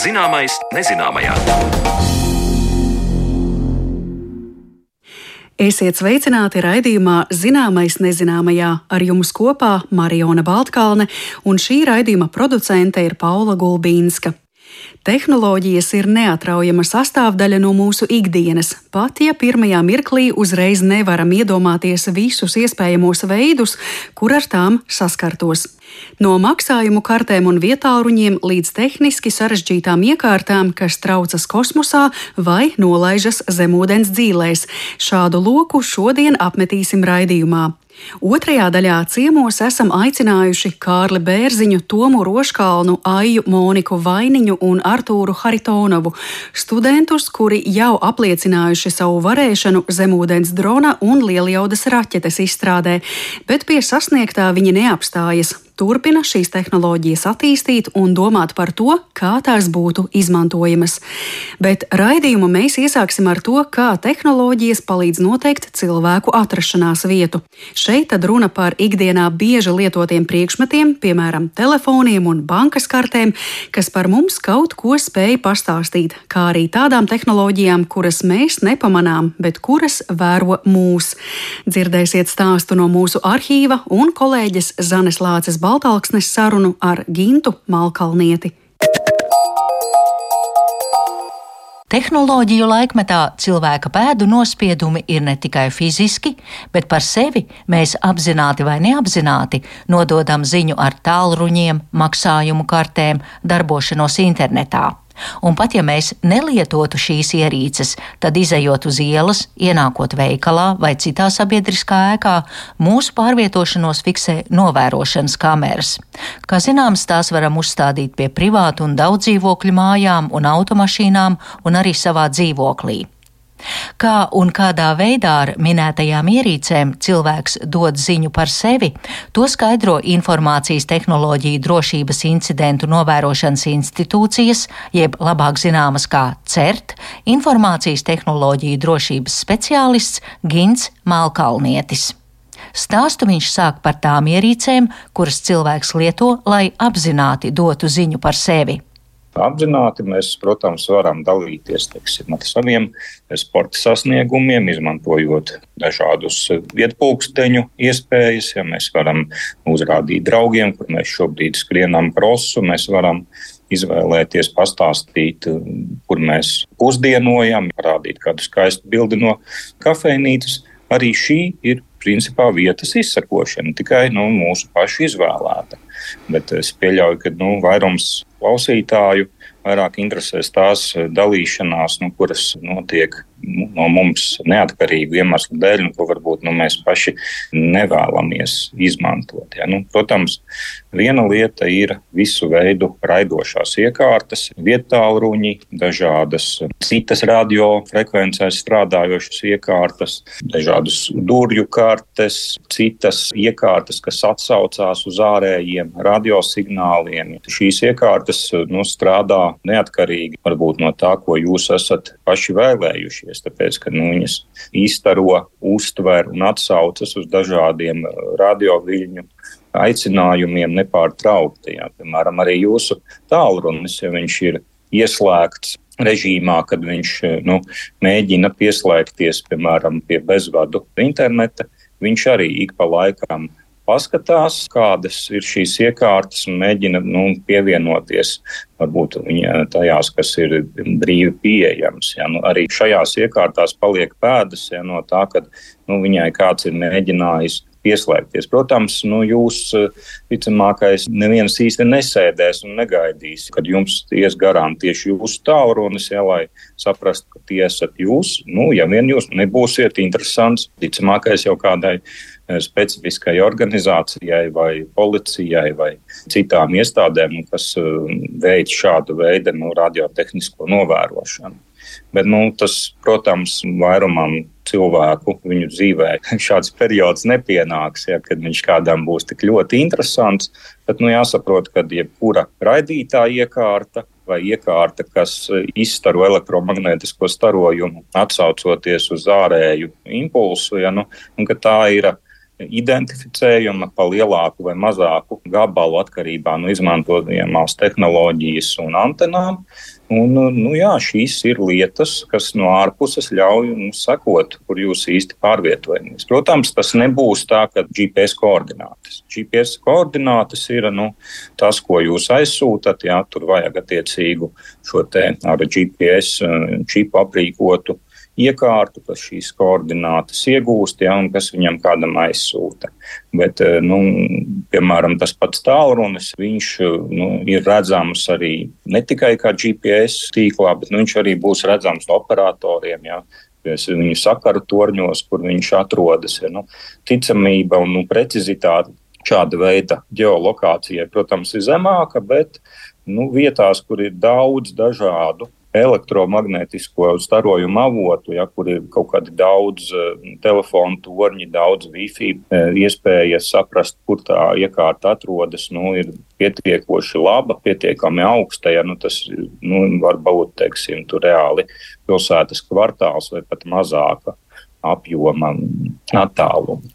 Zināmais nezināmajā. Esiet sveicināti raidījumā Zināmais nezināmajā. Ar jums kopā Mariona Baltkalne, un šī raidījuma producente ir Paula Gulbīnska. Tehnoloģijas ir neatraujama sastāvdaļa no mūsu ikdienas, pat ja pirmajā mirklī uzreiz nevaram iedomāties visus iespējamos veidus, kur ar tām saskartos. No maksājumu kartēm un vietāluņiem līdz tehniski sarežģītām iekārtām, kas traucas kosmosā vai nolaižas zemūdens dzīlēs. Šādu loku šodien apmetīsim raidījumā. Otrajā daļā ciemos esam aicinājuši Kārli Bērziņu, Tomu Roškalnu, Aiju Moniku Vainiņu un Artūru Haritonovu, studentus, kuri jau apliecinājuši savu varēšanu zemūdens drona un lielijaudas raķetes izstrādē, bet pie sasniegtā viņi neapstājas. Turpina šīs tehnoloģijas attīstīt un domāt par to, kā tās būtu izmantojamas. Bet raidījumu mēs iesāksim ar to, kā tehnoloģijas palīdz noteikt cilvēku atrašanās vietu. Šeit tad runa par ikdienā bieži lietotiem priekšmetiem, piemēram, telefoniem un bankas kartēm, kas par mums kaut ko spēj pastāstīt, kā arī tādām tehnoloģijām, kuras mēs nepamanām, bet kuras vēro mūs. Dzirdēsiet stāstu no mūsu arhīva un kolēģes Zanes Lāces Baltalksnes sarunu ar Gintu Malkalnieti. Tehnoloģiju laikmetā cilvēka pēdu nospiedumi ir ne tikai fiziski, bet par sevi mēs apzināti vai neapzināti nododam ziņu ar tālruņiem, maksājumu kartēm, darbošanos internetā. Un pat ja mēs nelietotu šīs ierīces, tad izejot uz ielas, ienākot veikalā vai citā sabiedriskā ēkā, mūsu pārvietošanos fiksē novērošanas kameras. Kā zināms, tās varam uzstādīt pie privātu un daudzdzīvokļu mājām un automašīnām un arī savā dzīvoklī. Kā un kādā veidā ar minētajām ierīcēm cilvēks dod ziņu par sevi, to skaidro Informācijas tehnoloģiju drošības incidentu novērošanas institūcijas, jeb labāk zināmas kā CERT, Informācijas tehnoloģiju drošības speciālists Gints Malkalnietis. Stāstu viņš sāk par tām ierīcēm, kuras cilvēks lieto, lai apzināti dotu ziņu par sevi. Apzināti mēs, protams, varam dalīties ar saviem sporta sasniegumiem, izmantojot dažādus vietpulksteņu iespējas. Ja mēs varam uzrādīt draugiem, kur mēs šobrīd skrienam krosu, mēs varam izvēlēties, pastāstīt, kur mēs pusdienojam, parādīt kādu skaistu bildi no kafejnīcas. Arī šī ir principā vietas izsakošana, tikai mūsu pašu izvēlēta. Bet es pieļauju, ka vairums klausītāju vairāk interesēs tās dalīšanās, kuras notiek no mums neatkarīgu iemeslu dēļ, ko varbūt mēs paši nevēlamies izmantot. Ja? Protams, viena lieta ir visu veidu raidošās iekārtas, viettālruņi, dažādas citas radiofrekvencēs strādājošas iekārtas, dažādas durvju kartes, citas iekārtas, kas atsaucās uz ārējiem radiosignāliem. Šīs iekārtas strādā neatkarīgi varbūt no tā, ko jūs esat paši vēlējušies. Tāpēc, ka viņas izstaro, uztver un atsaucas uz dažādiem radioviļņu aicinājumiem nepārtraukti. Ja. Piemēram, arī jūsu tālrunis, ja viņš ir ieslēgts režīmā, kad viņš mēģina pieslēgties, piemēram, pie bezvadu interneta, viņš arī ik pa laikam paskatās, kādas ir šīs iekārtas un mēģina pievienoties varbūt tajās, kas ir brīvi pieejams. Ja. Arī šajās iekārtās paliek pēdas no tā, kad viņai kāds ir mēģinājis pieslēgties. Protams, jūs ticamākais neviens īsti nesēdēs un negaidīs, kad jums ies garām tieši jūsu tālrunis, lai saprastu, ka tie esat jūs. Ja vien jūs nebūsiet interesants, ticamākais jau kādai specifiskai organizācijai vai policijai vai citām iestādēm, kas veic šādu veidu radiotehnisko novērošanu. Bet tas, protams, vairumam cilvēku viņu dzīvē šāds periods nepienāks, kad viņš kādam būs tik ļoti interesants. Bet jāsaprot, ka jebkura raidītā iekārta vai iekārta, kas izstaro elektromagnētisko starojumu, atsaucoties uz ārēju impulsu, un ka tā ir identificējama pa lielāku vai mazāku gabalu atkarībā no izmantojamās tehnoloģijas un antenām. Un, šīs ir lietas, kas no ārpuses ļauj mums sekot, kur jūs īsti pārvietojamies. Protams, tas nebūs tā, ka GPS koordinātes. GPS koordinātes ir tas, ko jūs aizsūtat, tur vajag attiecīgu šo te ar GPS čipu aprīkotu iekārtu, kas šīs koordinātas iegūst, un kas viņam kādam aizsūta. Bet, piemēram, tas pats tālrunis, viņš ir redzams arī ne tikai kā GPS tīklā, bet viņš arī būs redzams operatoriem, viņu sakaru torņos, kur viņš atrodas. Ticamība un precizitāte šāda veida ģeolokācijai, protams, ir zemāka, bet vietās, kur ir daudz dažādu elektromagnētisko starojumu avotu, kur ir kaut kādi daudz telefonu torņi, daudz Wi-Fi, iespēja saprast, kur tā iekārta atrodas, ir pietiekoši laba, pietiekami augsta, tas var būt, tur reāli pilsētas kvartāls vai pat mazāka apjoma attāluma.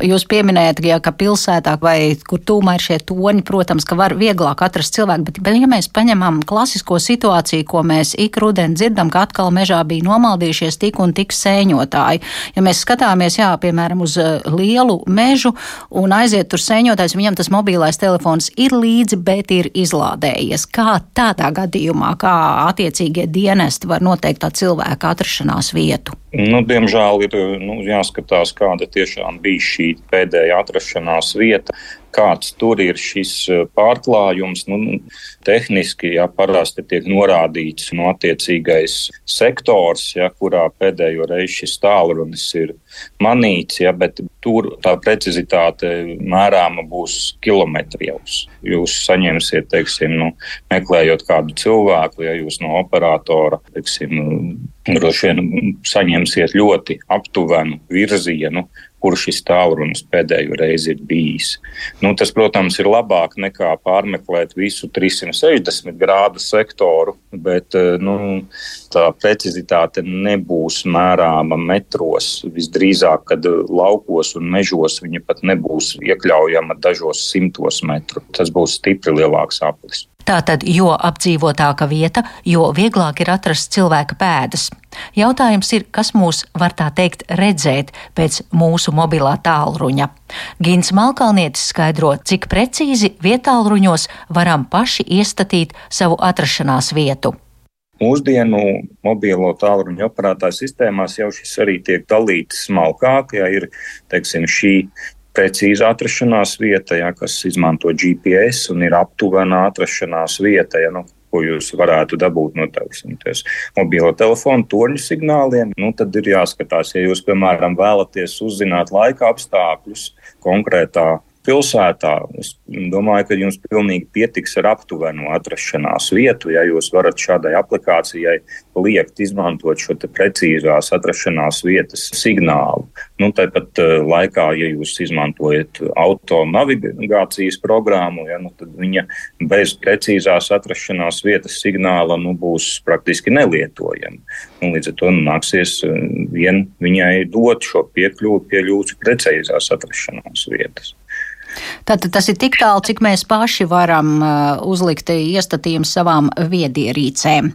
Jūs pieminējat, ka pilsētā vai kur tūmā ir šie toņi, protams, ka var vieglāk atrast cilvēku, bet ja mēs paņemam klasisko situāciju, ko mēs ik rudeni dzirdam, ka atkal mežā bija nomaldījušies tik un tik sēņotāji. Ja mēs skatāmies, piemēram, uz lielu mežu un aiziet tur sēņotājs, viņam tas mobilais telefons ir līdzi, bet ir izlādējies. Kā tādā gadījumā, kā attiecīgie dienesti var noteikt tā cilvēka atrašanās vietu? Diemžēl ir jāskatās, kāda tiešām bija šī pēdējā atrašanās vieta, kāds tur ir šis pārklājums. Tehniski parasti tiek norādīts attiecīgais sektors, kurā pēdējo reizi šis tālrunis ir manīts, bet tur tā precizitāte mērāma būs kilometrijos. Jūs saņemsiet, meklējot kādu cilvēku, ja jūs no operatora, droši vien saņemsiet ļoti aptuvenu virzienu, kur šis tālrunis pēdējo reizi ir bijis. Tas, protams, ir labāk nekā pārmeklēt visu 360 grādu sektoru, bet tā precizitāte nebūs mērāma metros. Visdrīzāk, kad laukos un mežos viņa pat nebūs iekļaujama dažos 100 metru. Tas būs stipri lielāks aplis. Tātad, jo apdzīvotāka vieta, jo vieglāk ir atrast cilvēka pēdas. Jautājums ir, kas mūs var tā teikt redzēt pēc mūsu mobilā tālruņa. Gins Malkalnietis skaidro, cik precīzi vietālruņos varam paši iestatīt savu atrašanās vietu. Mūsdienu mobilo tālruņu operētāju sistēmās jau šis arī tiek dalīts smalkāk, ir, šī precīza atrašanās vieta, kas izmanto GPS un ir aptuvenā atrašanās vieta, ko jūs varētu dabūt no mobilo telefonu torņu signāliem. Tad ir jāskatās, ja jūs, piemēram, vēlaties uzzināt laika apstākļus konkrētā pilsētā. Es domāju, ka jums pilnīgi pietiks ar aptuvenu atrašanās vietu, ja jūs varat šādai aplikācijai liekt izmantot šo te precīzās atrašanās vietas signālu. Tāpat laikā, ja jūs izmantojat autonavigācijas programmu, tad viņa bez precīzās atrašanās vietas signāla būs praktiski nelietojama. Līdz ar to nāksies vien viņai dot šo piekļuvi pie jūsu precīzās atrašanās vietas. Tātad tas ir tik tālu, cik mēs paši varam uzlikt iestatījumus savām viedierīcēm.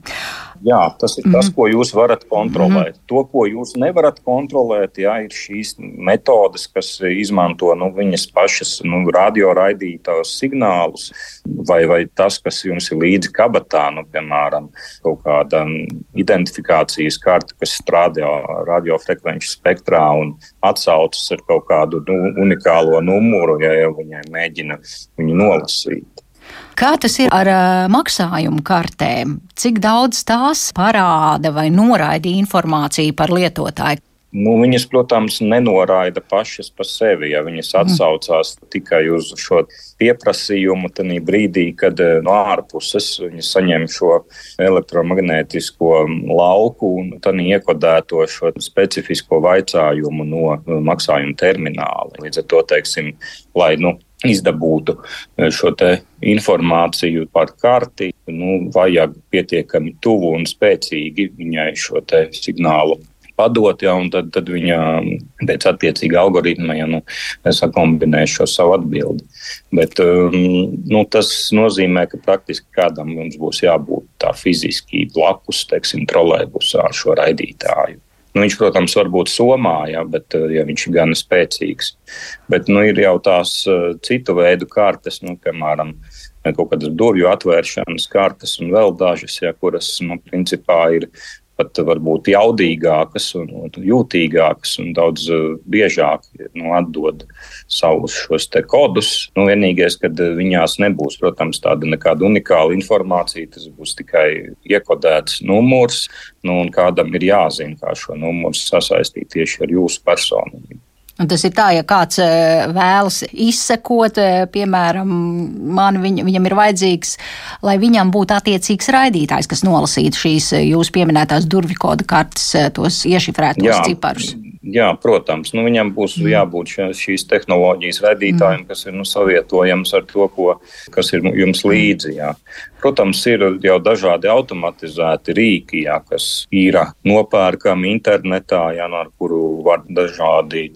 Jā, tas ir tas, ko jūs varat kontrolēt. To, ko jūs nevarat kontrolēt, ir šīs metodes, kas izmanto viņas pašas radioraidītās signālus, vai tas, kas jums ir līdzi kabatā, piemēram, kaut kāda identifikācijas karte, kas strādā radiofrekvenču spektrā un atsaucas ar kaut kādu unikālo numuru, ja viņai mēģina viņu nolasīt. Kā tas ir ar maksājumu kartēm? Cik daudz tās parāda vai noraida informāciju par lietotāju? Viņas, protams, nenoraida pašas par sevi, ja viņas atsaucās tikai uz šo pieprasījumu tanī brīdī, kad no ārpuses viņas saņem šo elektromagnētisko lauku un tanī iekodēto šo specifisko vaicājumu no maksājuma termināla. Līdz ar to, lai izdabūtu šo te informāciju par karti, vajag pietiekami tuvu un spēcīgi viņai šo te signālu padot, un tad viņa pēc attiecīga algoritma sakombinē šo savu atbildi. Bet tas nozīmē, ka praktiski kādam mums būs jābūt tā fiziski blakus, trolejbusā ar šo raidītāju. Viņš, protams, var būt somā, bet ja viņš ir gan spēcīgs. Bet ir jau tās citu veidu kartes, piemēram, kaut kādas durvju atvēršanas kartes un vēl dažas, kuras, principā ir pat varbūt jaudīgākas un jūtīgākas un daudz biežāk atdod savus šos te kodus. Vienīgais, kad viņās nebūs, protams, tāda nekāda unikāla informācija, tas būs tikai iekodēts numurs, un kādam ir jāzina, kā šo numuru sasaistīt tieši ar jūsu personību. Un tas ir tā, ja kāds vēlas izsekot, piemēram, viņam ir vajadzīgs, lai viņam būtu attiecīgs raidītājs, kas nolasītu šīs jūs pieminētās durvju koda kartes, tos iešifrētos ciparus. Jā, protams. Viņam būs jābūt šīs tehnoloģijas raidītājiem, kas ir savietojams ar to, kas ir jums līdzi. Jā. Protams, ir jau dažādi automatizēti rīki, kas ir nopērkami internetā, ar kuru var dažādi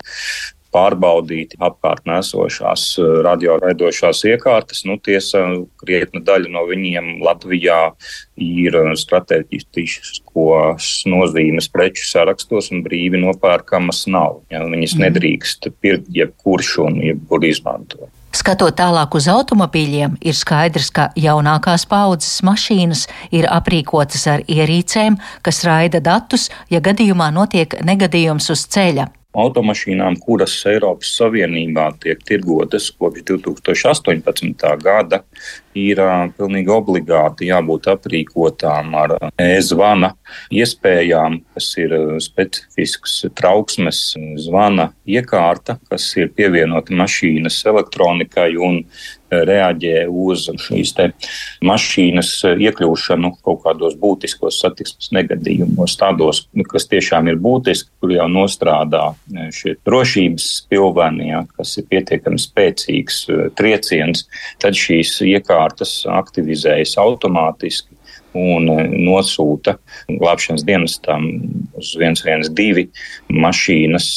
pārbaudīt apkārtnē esošās radioraidošās iekārtas. Tiesa, krietna daļa no viņiem Latvijā ir strateģiskos nozīmes preču sarakstos un brīvi nopērkamas nav. Viņas nedrīkst pirkt jebkurš un jebkur izmantot. Skatot tālāk uz automobīļiem, ir skaidrs, ka jaunākās paaudzes mašīnas ir aprīkotas ar ierīcēm, kas raida datus, ja gadījumā notiek negadījums uz ceļa. Automašīnām, kuras Eiropas Savienībā tiek tirgotas kopš 2018. gada, ir pilnīgi obligāti jābūt aprīkotām ar e-zvana iespējām, kas ir specifisks trauksmes zvana iekārta, kas ir pievienota mašīnas elektronikai un reaģē uz šīs te mašīnas iekļūšanu kaut kādos būtiskos satiksmes negadījumos, tādos, kas tiešām ir būtiski, kur jau nostrādā šie drošības spilveni, kas ir pietiekami spēcīgs trieciens, tad šīs iekārtas aktivizējas automātiski un nosūta glābšanas dienestam uz 112 mašīnas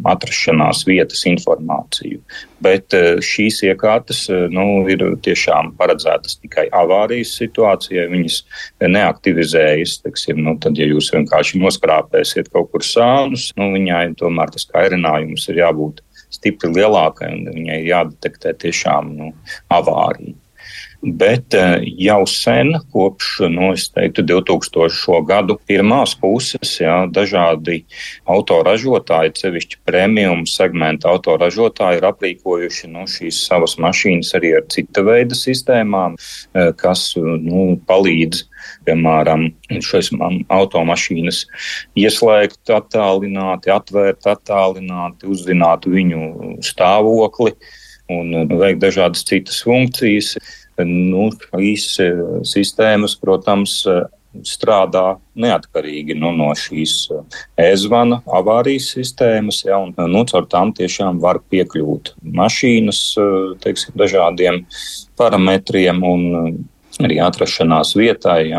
atrašanās vietas informāciju. Bet šīs iekārtas ir tiešām paredzētas tikai avārijas situācijai. Viņas neaktivizējas, tad, ja jūs vienkārši noskrāpēsiet kaut kur sānus, viņai tomēr tas kairinājums ir jābūt stipri lielākai un viņai jādetektē tiešām avārija. Bet jau sen, kopš, es teiktu, 2000. gadu pirmās puses, dažādi autoražotāji, sevišķi premium segmenta autoražotāji ir aprīkojuši šīs savas mašīnas arī ar cita veida sistēmām, kas palīdz, piemēram, šīs automašīnas ieslēgt attālināti, atvērt attālināti, uzzināt viņu stāvokli un veikt dažādas citas funkcijas. Šīs sistēmas, protams, strādā neatkarīgi no šīs e-zvana avārijas sistēmas, un caur tām tiešām var piekļūt mašīnas, dažādiem parametriem un arī atrašanās vietai.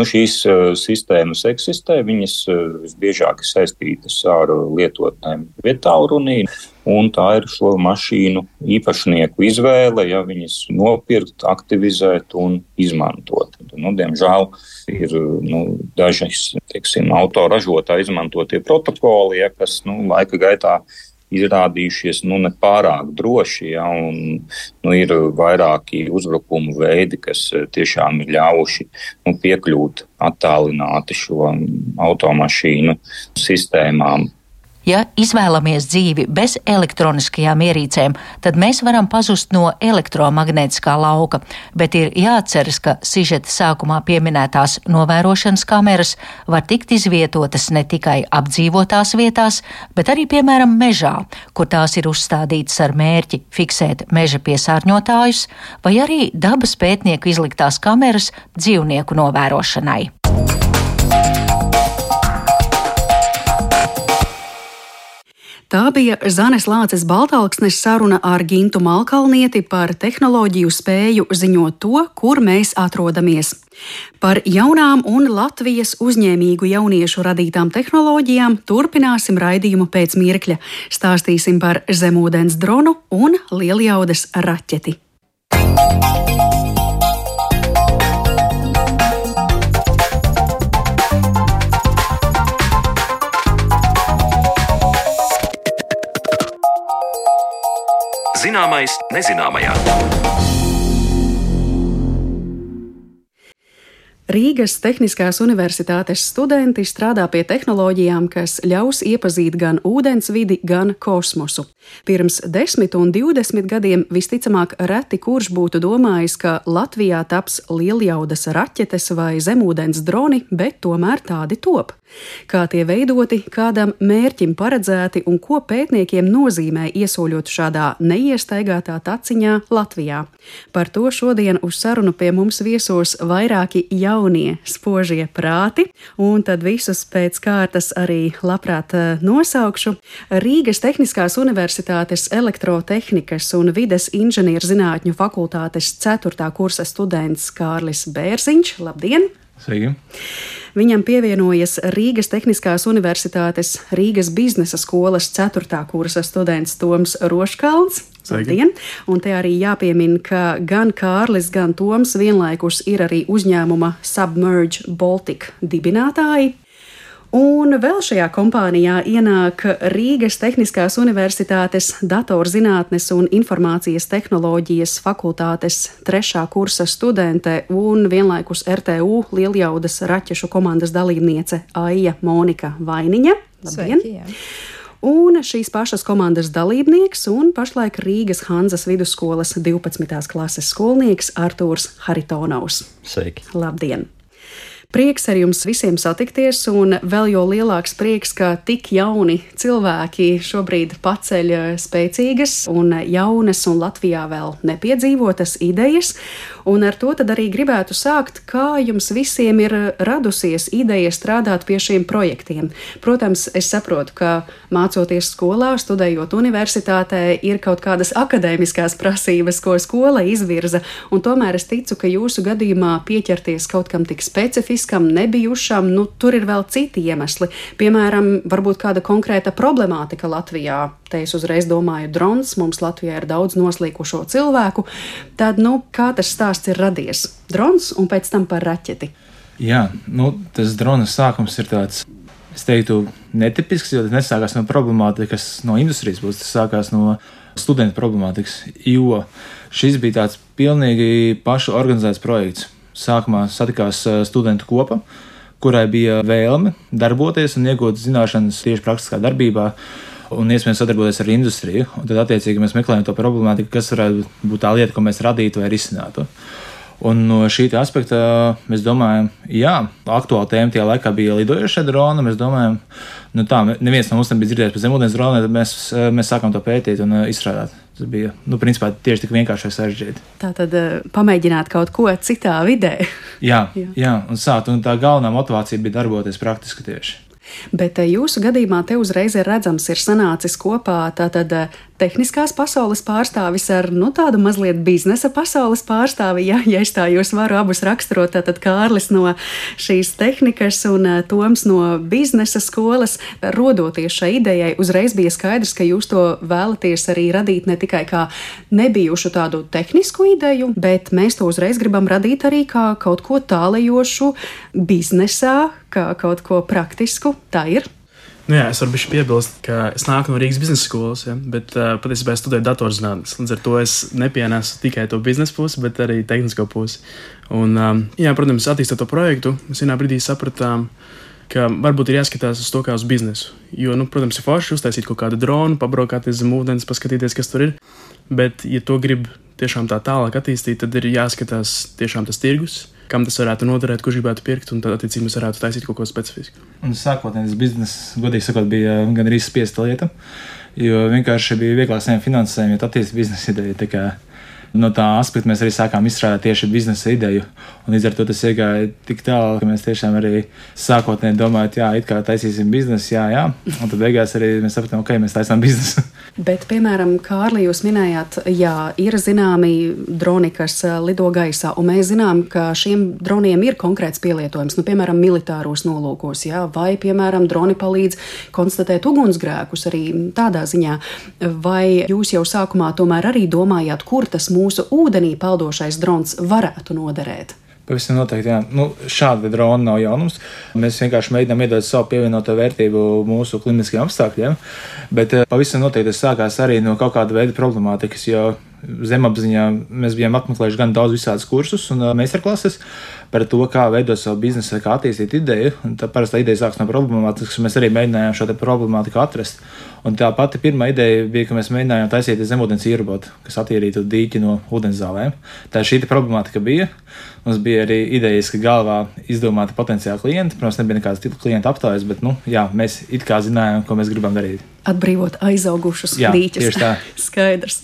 Šīs sistēmas eksistē, viņas visbiežāk ir saistītas ar lietotnēm vietālrunī, un tā ir šo mašīnu īpašnieku izvēle, viņas nopirkt, aktivizēt un izmantot. Diemžēl ir dažas, autoražotāji izmantotie protokoli, kas laika gaitā izrādījušies nepārāk droši, un ir vairāki uzbrukumu veidi, kas tiešām ir ļāvuši piekļūt attālināti šo automašīnu sistēmām. Ja izvēlamies dzīvi bez elektroniskajām ierīcēm, tad mēs varam pazust no elektromagnētiskā lauka, bet ir jāatceras, ka sižeta sākumā pieminētās novērošanas kameras var tikt izvietotas ne tikai apdzīvotās vietās, bet arī, piemēram, mežā, kur tās ir uzstādītas ar mērķi fiksēt meža piesārņotājus, vai arī dabas pētnieku izliktās kameras dzīvnieku novērošanai. Tā bija Zanes Lāces Baltalksnes saruna ar Gintu Malkalnieti par tehnoloģiju spēju ziņot to, kur mēs atrodamies. Par jaunām un Latvijas uzņēmīgu jauniešu radītām tehnoloģijām turpināsim raidījumu pēc mirkļa. Stāstīsim par zemūdens dronu un lieljaudas raķeti. Zināmais nezināmajā. Rīgas Tehniskās universitātes studenti strādā pie tehnoloģijām, kas ļaus iepazīt gan ūdensvidi, gan kosmosu. Pirms 10 un 20 gadiem visticamāk reti kurš būtu domājis, ka Latvijā taps lieljaudas raķetes vai zemūdens droni, bet tomēr tādi top. Kā tie veidoti, kādam mērķim paredzēti un ko pētniekiem nozīmē iesoļot šādā neiestaigātā taciņā Latvijā. Par to šodien uz sarunu pie mums viesos vairāki jaunie spožie prāti, un tad visus pēc kārtas arī labprāt nosaukšu. Rīgas Tehniskās universitātes elektrotehnikas un vides inženierzinātņu fakultātes 4. kursa students Kārlis Bērziņš. Labdien! Sveiki! Viņam pievienojas Rīgas Tehniskās universitātes Rīgas biznesa skolas 4. kursa students Toms Roškalns. Labdien! Un te arī jāpiemina, ka gan Kārlis, gan Toms vienlaikus ir arī uzņēmuma Submerge Baltic dibinātāji. Un vēl šajā kompānijā ienāk Rīgas Tehniskās universitātes datorzinātnes un informācijas tehnoloģijas fakultātes 3. kursa studente un vienlaikus RTU lieljaudas raķešu komandas dalībniece Aija Monika Vainiņa. Labdien! Sveiki, jā. Un šīs pašas komandas dalībnieks un pašlaik Rīgas Hanzas vidusskolas 12. klases skolnieks Artūrs Haritonovs. Sveiki! Labdien! Prieks ar jums visiem satikties, un vēl jo lielāks prieks, ka tik jauni cilvēki šobrīd paceļ spēcīgas un jaunas un Latvijā vēl nepiedzīvotas idejas. Un ar to tad arī gribētu sākt, kā jums visiem ir radusies ideja strādāt pie šiem projektiem. Protams, es saprotu, ka mācoties skolā, studējot universitātē, ir kaut kādas akadēmiskās prasības, ko skola izvirza, un tomēr es ticu, ka jūsu gadījumā pieķerties kaut kam tik specifiskam, nebijušam, tur ir vēl citi iemesli. Piemēram, varbūt kāda konkrēta problemātika Latvijā. Te es uzreiz domāju drons, mums Latvijā ir daudz noslīkušo cilvēku. Tad, kā tas stāsts ir radies? Drons un pēc tam par raķeti. Jā, tas drona sākums ir tāds, es teiktu, netipisks, jo tas nesākās no problemātikas, no industrijas puses, tas sākās no studentu problemātikas, jo šis bija tāds pilnīgi pašu organizēts projekts. Sākumā satikās studentu kopa, kurai bija vēlme darboties un iegūt zināšanas tieši praktiskā darbībā un iespējams sadarboties ar industriju. Un tad attiecīgi mēs meklējam to problemātiku, kas varētu būt tā lieta, ko mēs radītu vai risinātu. Un no šī aspekta mēs domājam, jā, aktuāla tēma tajā laikā bija lidojošie droni. Mēs domājam, neviens no mums nebija dzirdējis par zemūdens droniem, tad mēs sākām to pētīt un izstrādāt. Tas bija, principā, tieši tik vienkārši vai sarežģīti. Tātad pamēģināt kaut ko citā vidē. Jā, un sākt, un tā galvenā motivācija bija darboties praktiski tieši. Bet jūsu gadījumā te uzreiz ir redzams, ir sanācis kopā tātad tehniskās pasaules pārstāvis ar tādu mazliet biznesa pasaules pārstāvi, ja es tā jūs varu abus raksturot, tātad Kārlis no šīs tehnikas un Toms no biznesa skolas. Rodoties šai idejai, uzreiz bija skaidrs, ka jūs to vēlaties arī radīt ne tikai kā nebijušu tādu tehnisku ideju, bet mēs to uzreiz gribam radīt arī kā kaut ko tālajošu biznesā, kā kaut ko praktisku. Tā ir? Jā, es varu bišķi piebilst, ka es nāku no Rīgas biznesa skolas, bet patiesībā es studēju datorzinātnes. Līdz ar to es nepienesu tikai to biznesa pusi, bet arī tehnisko pusi. Un, protams, attīstot to projektu, mēs vienā brīdī sapratām, ka varbūt ir jāskatās uz to kā uz biznesu. Jo, protams, ir forši uztaisīt kaut kādu dronu, pabraukāties zem ūdens, paskatīties, kas tur ir. Bet, ja to grib tiešām tā tālāk attīstīt, tad ir jāskatās tiešām tas tirgus, kam tas varētu noderēt, kurš gribētu pirkt, un tad, attiecīgi, mēs varētu taisīt kaut ko specifisku. Un sākotnēji tas bizness, godīgi sakot, bija gan arī spiesta lieta, jo vienkārši bija vieglāk saņemt finansējumu, jo attīstīt biznesa ideja. No tā aspekta mēs arī sākām izstrādāt tieši biznesa ideju. Un līdz ar to tas iegāja tik tālu, ka mēs tiešām arī sākotnēji domājam, jā, it kā taisīsim biznesu, jā. Un tad beigās arī mēs sapratām, ok, mēs taisām biznesu. Bet, piemēram, Kārli, jūs minējāt, jā, ir zināmi droni, kas lido gaisā, un mēs zinām, ka šiem droniem ir konkrēts pielietojums, piemēram, militāros nolūkos, jā, vai, piemēram, droni palīdz konstatēt ugunsgrēkus arī tādā ziņā. Vai jūs jau sākumā tomēr arī domājāt, kur tas mūsu ūdenī peldošais drons varētu noderēt? Pavisam noteikti, jā. Šāda drona nav jaunums. Mēs vienkārši mēģinām iedot savu pievienoto vērtību mūsu klimatiskiem apstākļiem, bet pavisam noteikti tas sākās arī no kaut kāda veida problemātikas, jo zemapziņā mēs bijām apmeklējuši gan daudz visādus kursus un meistarklases par to, kā veidot savu biznesu, kā attīstīt ideju. Tā parasti ideja sāks no problemātikas, mēs arī mēģinājām šo problemātiku atrast. Un tā pati pirmā ideja bija, ka mēs mēģinājām taisīt zemūdens ierobotu, kas attīrītu dīķi no ūdenszālēm. Tā šī problemātika bija. Mums bija arī idejas, ka galvā izdomāti potenciāli klienti. Protams, nebija nekādas citu klientu aptājas, bet jā, mēs it kā zinājām, ko mēs gribam darīt. Atbrīvot aizaugušus jā, dīķus. Tieši tā. Skaidrs.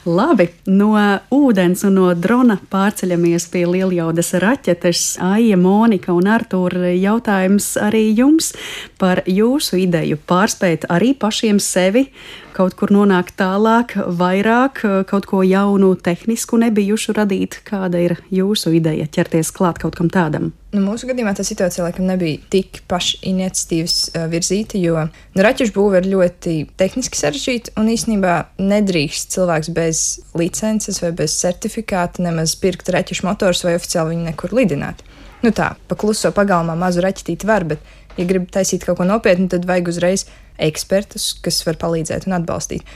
Labi, no ūdens un no drona pārceļamies pie Lieljaudas raķetes. Aija, Monika un Artūra, jautājums arī jums par jūsu ideju pārspēt arī pašiem sevi, kaut kur nonākt tālāk, vairāk, kaut ko jaunu, tehnisku nebijušu radīt. Kāda ir jūsu ideja ķerties klāt kaut kam tādam? Mūsu gadījumā tā situācija laikam nebija tik pašiniciatīvas virzīta, jo raķešu būve ir ļoti tehniski sarežģīta un īstenībā nedrīkst cilvēks bez licences vai bez certifikāta nemaz pirkt raķešu motors vai oficiāli viņu nekur lidināt. Tā, pa kluso pagalmā mazu raķetīti var, bet, ja grib taisīt kaut ko nopietnu, tad vajag uzreiz ekspertus, kas var palīdzēt un atbalstīt.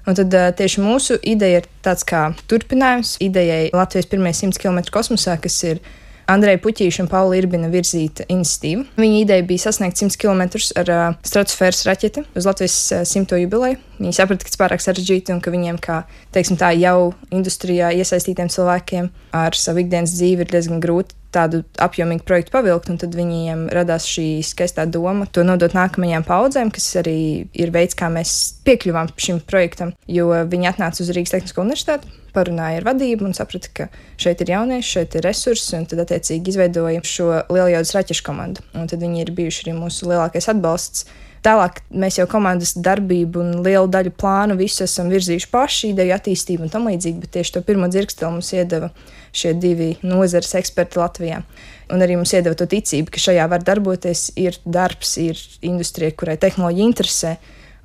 Un tad tieši mūsu ideja ir tāds kā turpinājums idejai Latvijas pirmie 100 km kosmosā, kas ir Andreja Puķīša un Paula Irbina virzīta iniciatīva. Viņa ideja bija sasniegt 100 km ar stratosfēras raķeti uz Latvijas 100. jubileju. Viņi saprata, ka tas pārāk sarežģīti un ka viņiem, kā teiksim tā, jau industrijā iesaistītiem cilvēkiem ar savu ikdienas dzīvi ir diezgan grūti tādu apjomīgu projektu pavilkt, un tad viņiem radās šī skaistā doma to nodot nākamajām paudzēm, kas arī ir veids, kā mēs piekļuvām šim projektam, jo viņi atnāca uz Rīgas Tehnisko universitāti, parunāja ar vadību un saprata, ka šeit ir jaunieši, šeit ir resursi, un tad attiecīgi izveidoja šo Lieljaudas raķešu komandu. Un tad viņi ir bijuši arī mūsu lielākais atbalsts. Tālāk mēs jau komandas darbību un lielu daļu plānu visu esam virzījuši paši, ideju attīstību un tam līdzīgi, bet tieši to pirmo dzirksteli mums iedeva šie divi nozares eksperti Latvijā. Un arī mums iedeva to ticību, ka šajā var darboties, ir darbs, ir industrija, kurai tehnoloģija interesē,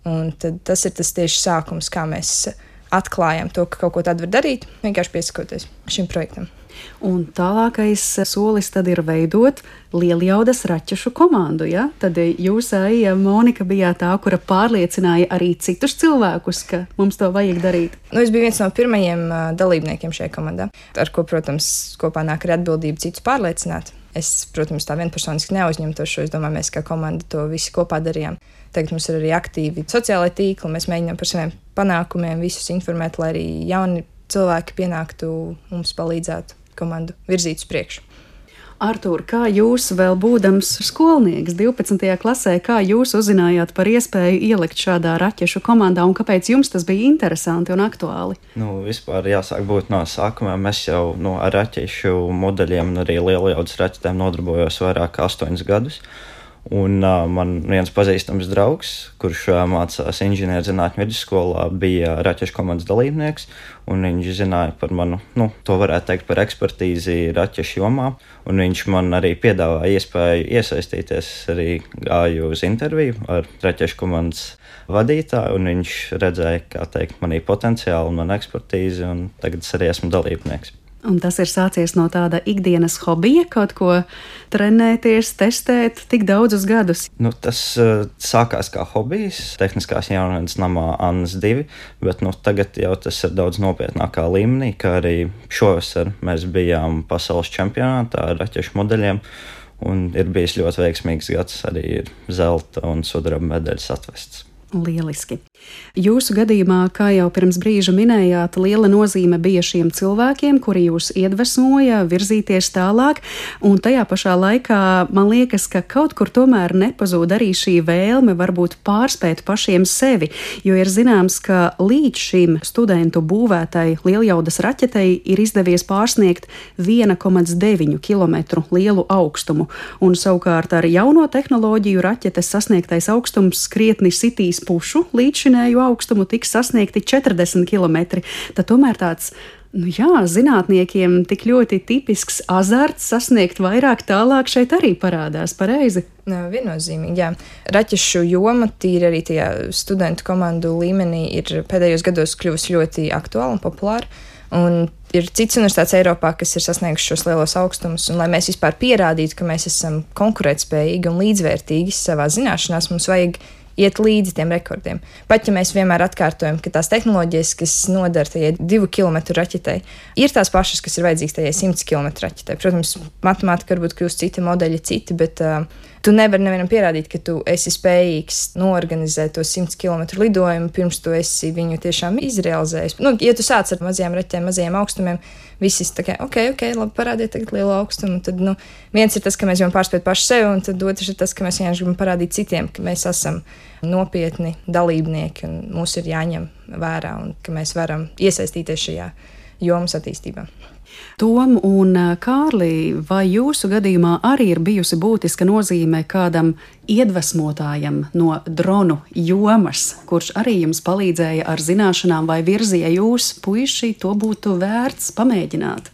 un tad tas ir tas tieši sākums, kā mēs atklājam to, ka kaut ko tādu var darīt, vienkārši piesakoties šim projektam. Un tālākais solis tad ir veidot Lieljaudas raķešu komandu, ja? Tad jūs, Aija, Monika, bijāt tā, kura pārliecināja arī citus cilvēkus, ka mums to vajag darīt. Es biju viens no pirmajiem dalībniekiem šajā komandā, ar ko, protams, kopā nāk arī atbildība citus pārliecināt. Es, protams, tā vienpersoniski neuzņemtos šo, es domāju, mēs kā komanda to visi kopā darījām. Tagad mums ir arī aktīvi sociālai tīkli, mēs mēģinām par saviem panākumiem visus informēt, lai arī jauni cilvēki pienāktu mums palīdzētu komandu virzīt uz priekšu. Artūr, kā jūs vēl būdams skolnieks 12. klasē, kā jūs uzzinājāt par iespēju ielikt šādā raķešu komandā un kāpēc jums tas bija interesanti un aktuāli? Vispār jāsāk būt no sākumā. Mēs jau ar raķešu modeļiem un arī Lieljaudas raķetēm nodarbojos vairāk kā 8 gadus. Un man viens pazīstams draugs, kurš mācās inženierzinātņu vidusskolā, bija raķešu komandas dalībnieks, un viņš zināja par manu, to varētu teikt par ekspertīzi raķešu jomā, un viņš man arī piedāvāja iespēju iesaistīties, arī gāju uz interviju ar raķešu komandas vadītāju, un viņš redzēja, kā teikt, manī potenciālu un manu ekspertīzi, un tagad es arī esmu dalībnieks. Un tas ir sācies no tāda ikdienas hobija, kaut ko trenēties, testēt tik daudzus gadus. Tas sākās kā hobijs Tehniskās jaunatnes namā Annas 2, bet tagad jau tas ir daudz nopietnākā līmenī, kā arī šovasar mēs bijām pasaules čempionātā ar raķešu modeļiem, un ir bijis ļoti veiksmīgs gads, arī ir zelta un sudraba medaļas atvests. Lieliski. Jūsu gadījumā, kā jau pirms brīža minējāt, liela nozīme bija šiem cilvēkiem, kuri jūs iedvesmoja virzīties tālāk, un tajā pašā laikā man liekas, ka kaut kur tomēr nepazūd arī šī vēlme varbūt pārspēt pašiem sevi, jo ir zināms, ka līdz šim studentu būvētai lieljaudas raķetei ir izdevies pārsniegt 1,9 km lielu augstumu, un savukārt ar jauno tehnoloģiju raķetes sasniegtais augstums krietni sitīs pušu līdzšinēju augstumu, tiks sasniegti 40 km. Tad tomēr tāds, zinātniekiem tik ļoti tipisks azarts sasniegt vairāk tālāk šeit arī parādās, pareizi? Viennozīmīgi, jā. Raķešu joma tīri arī tajā studentu komandu līmenī ir pēdējos gados kļuvusi ļoti aktuāla un populāra. Un ir cits universitātes Eiropā, kas ir sasnieguši šos lielos augstumus, un lai mēs vispār pierādītu, ka mēs esam konkurētspējīgi un līdzvērtīgi savā zināšanās, mums vajag iet līdzi tiem rekordiem. Pat ja mēs vienmēr atkārtojam, ka tās tehnoloģijas, kas nodara tajai 2 km raķetei, ir tās pašas, kas ir vajadzīgas tajai 100 km raķetei. Protams, matemātika varbūt kļūst citi, modeļi citi, bet tu nevari nevienam pierādīt, ka tu esi spējīgs noorganizēt to 100 km lidojumu, pirms tu esi viņu tiešām izrealizējis. Ja tu sāc ar mazajām raķetēm, mazajiem augstumiem, visi tā kā, ok, labi, parādiet tagad lielu augstumu. Tad, viens ir tas, ka mēs gribam pārspēt paši sevi, un tad otrs ir tas, ka mēs vienkārši gribam parādīt citiem, ka mēs esam nopietni dalībnieki, un mūs ir jāņem vērā, un ka mēs varam iesaistīties šajā jomas attīstībā. Tom un Kārli, vai jūsu gadījumā arī ir bijusi būtiska nozīme kādam iedvesmotājam no dronu jomas, kurš arī jums palīdzēja ar zināšanām vai virzīja jūs, puiši, to būtu vērts pamēģināt?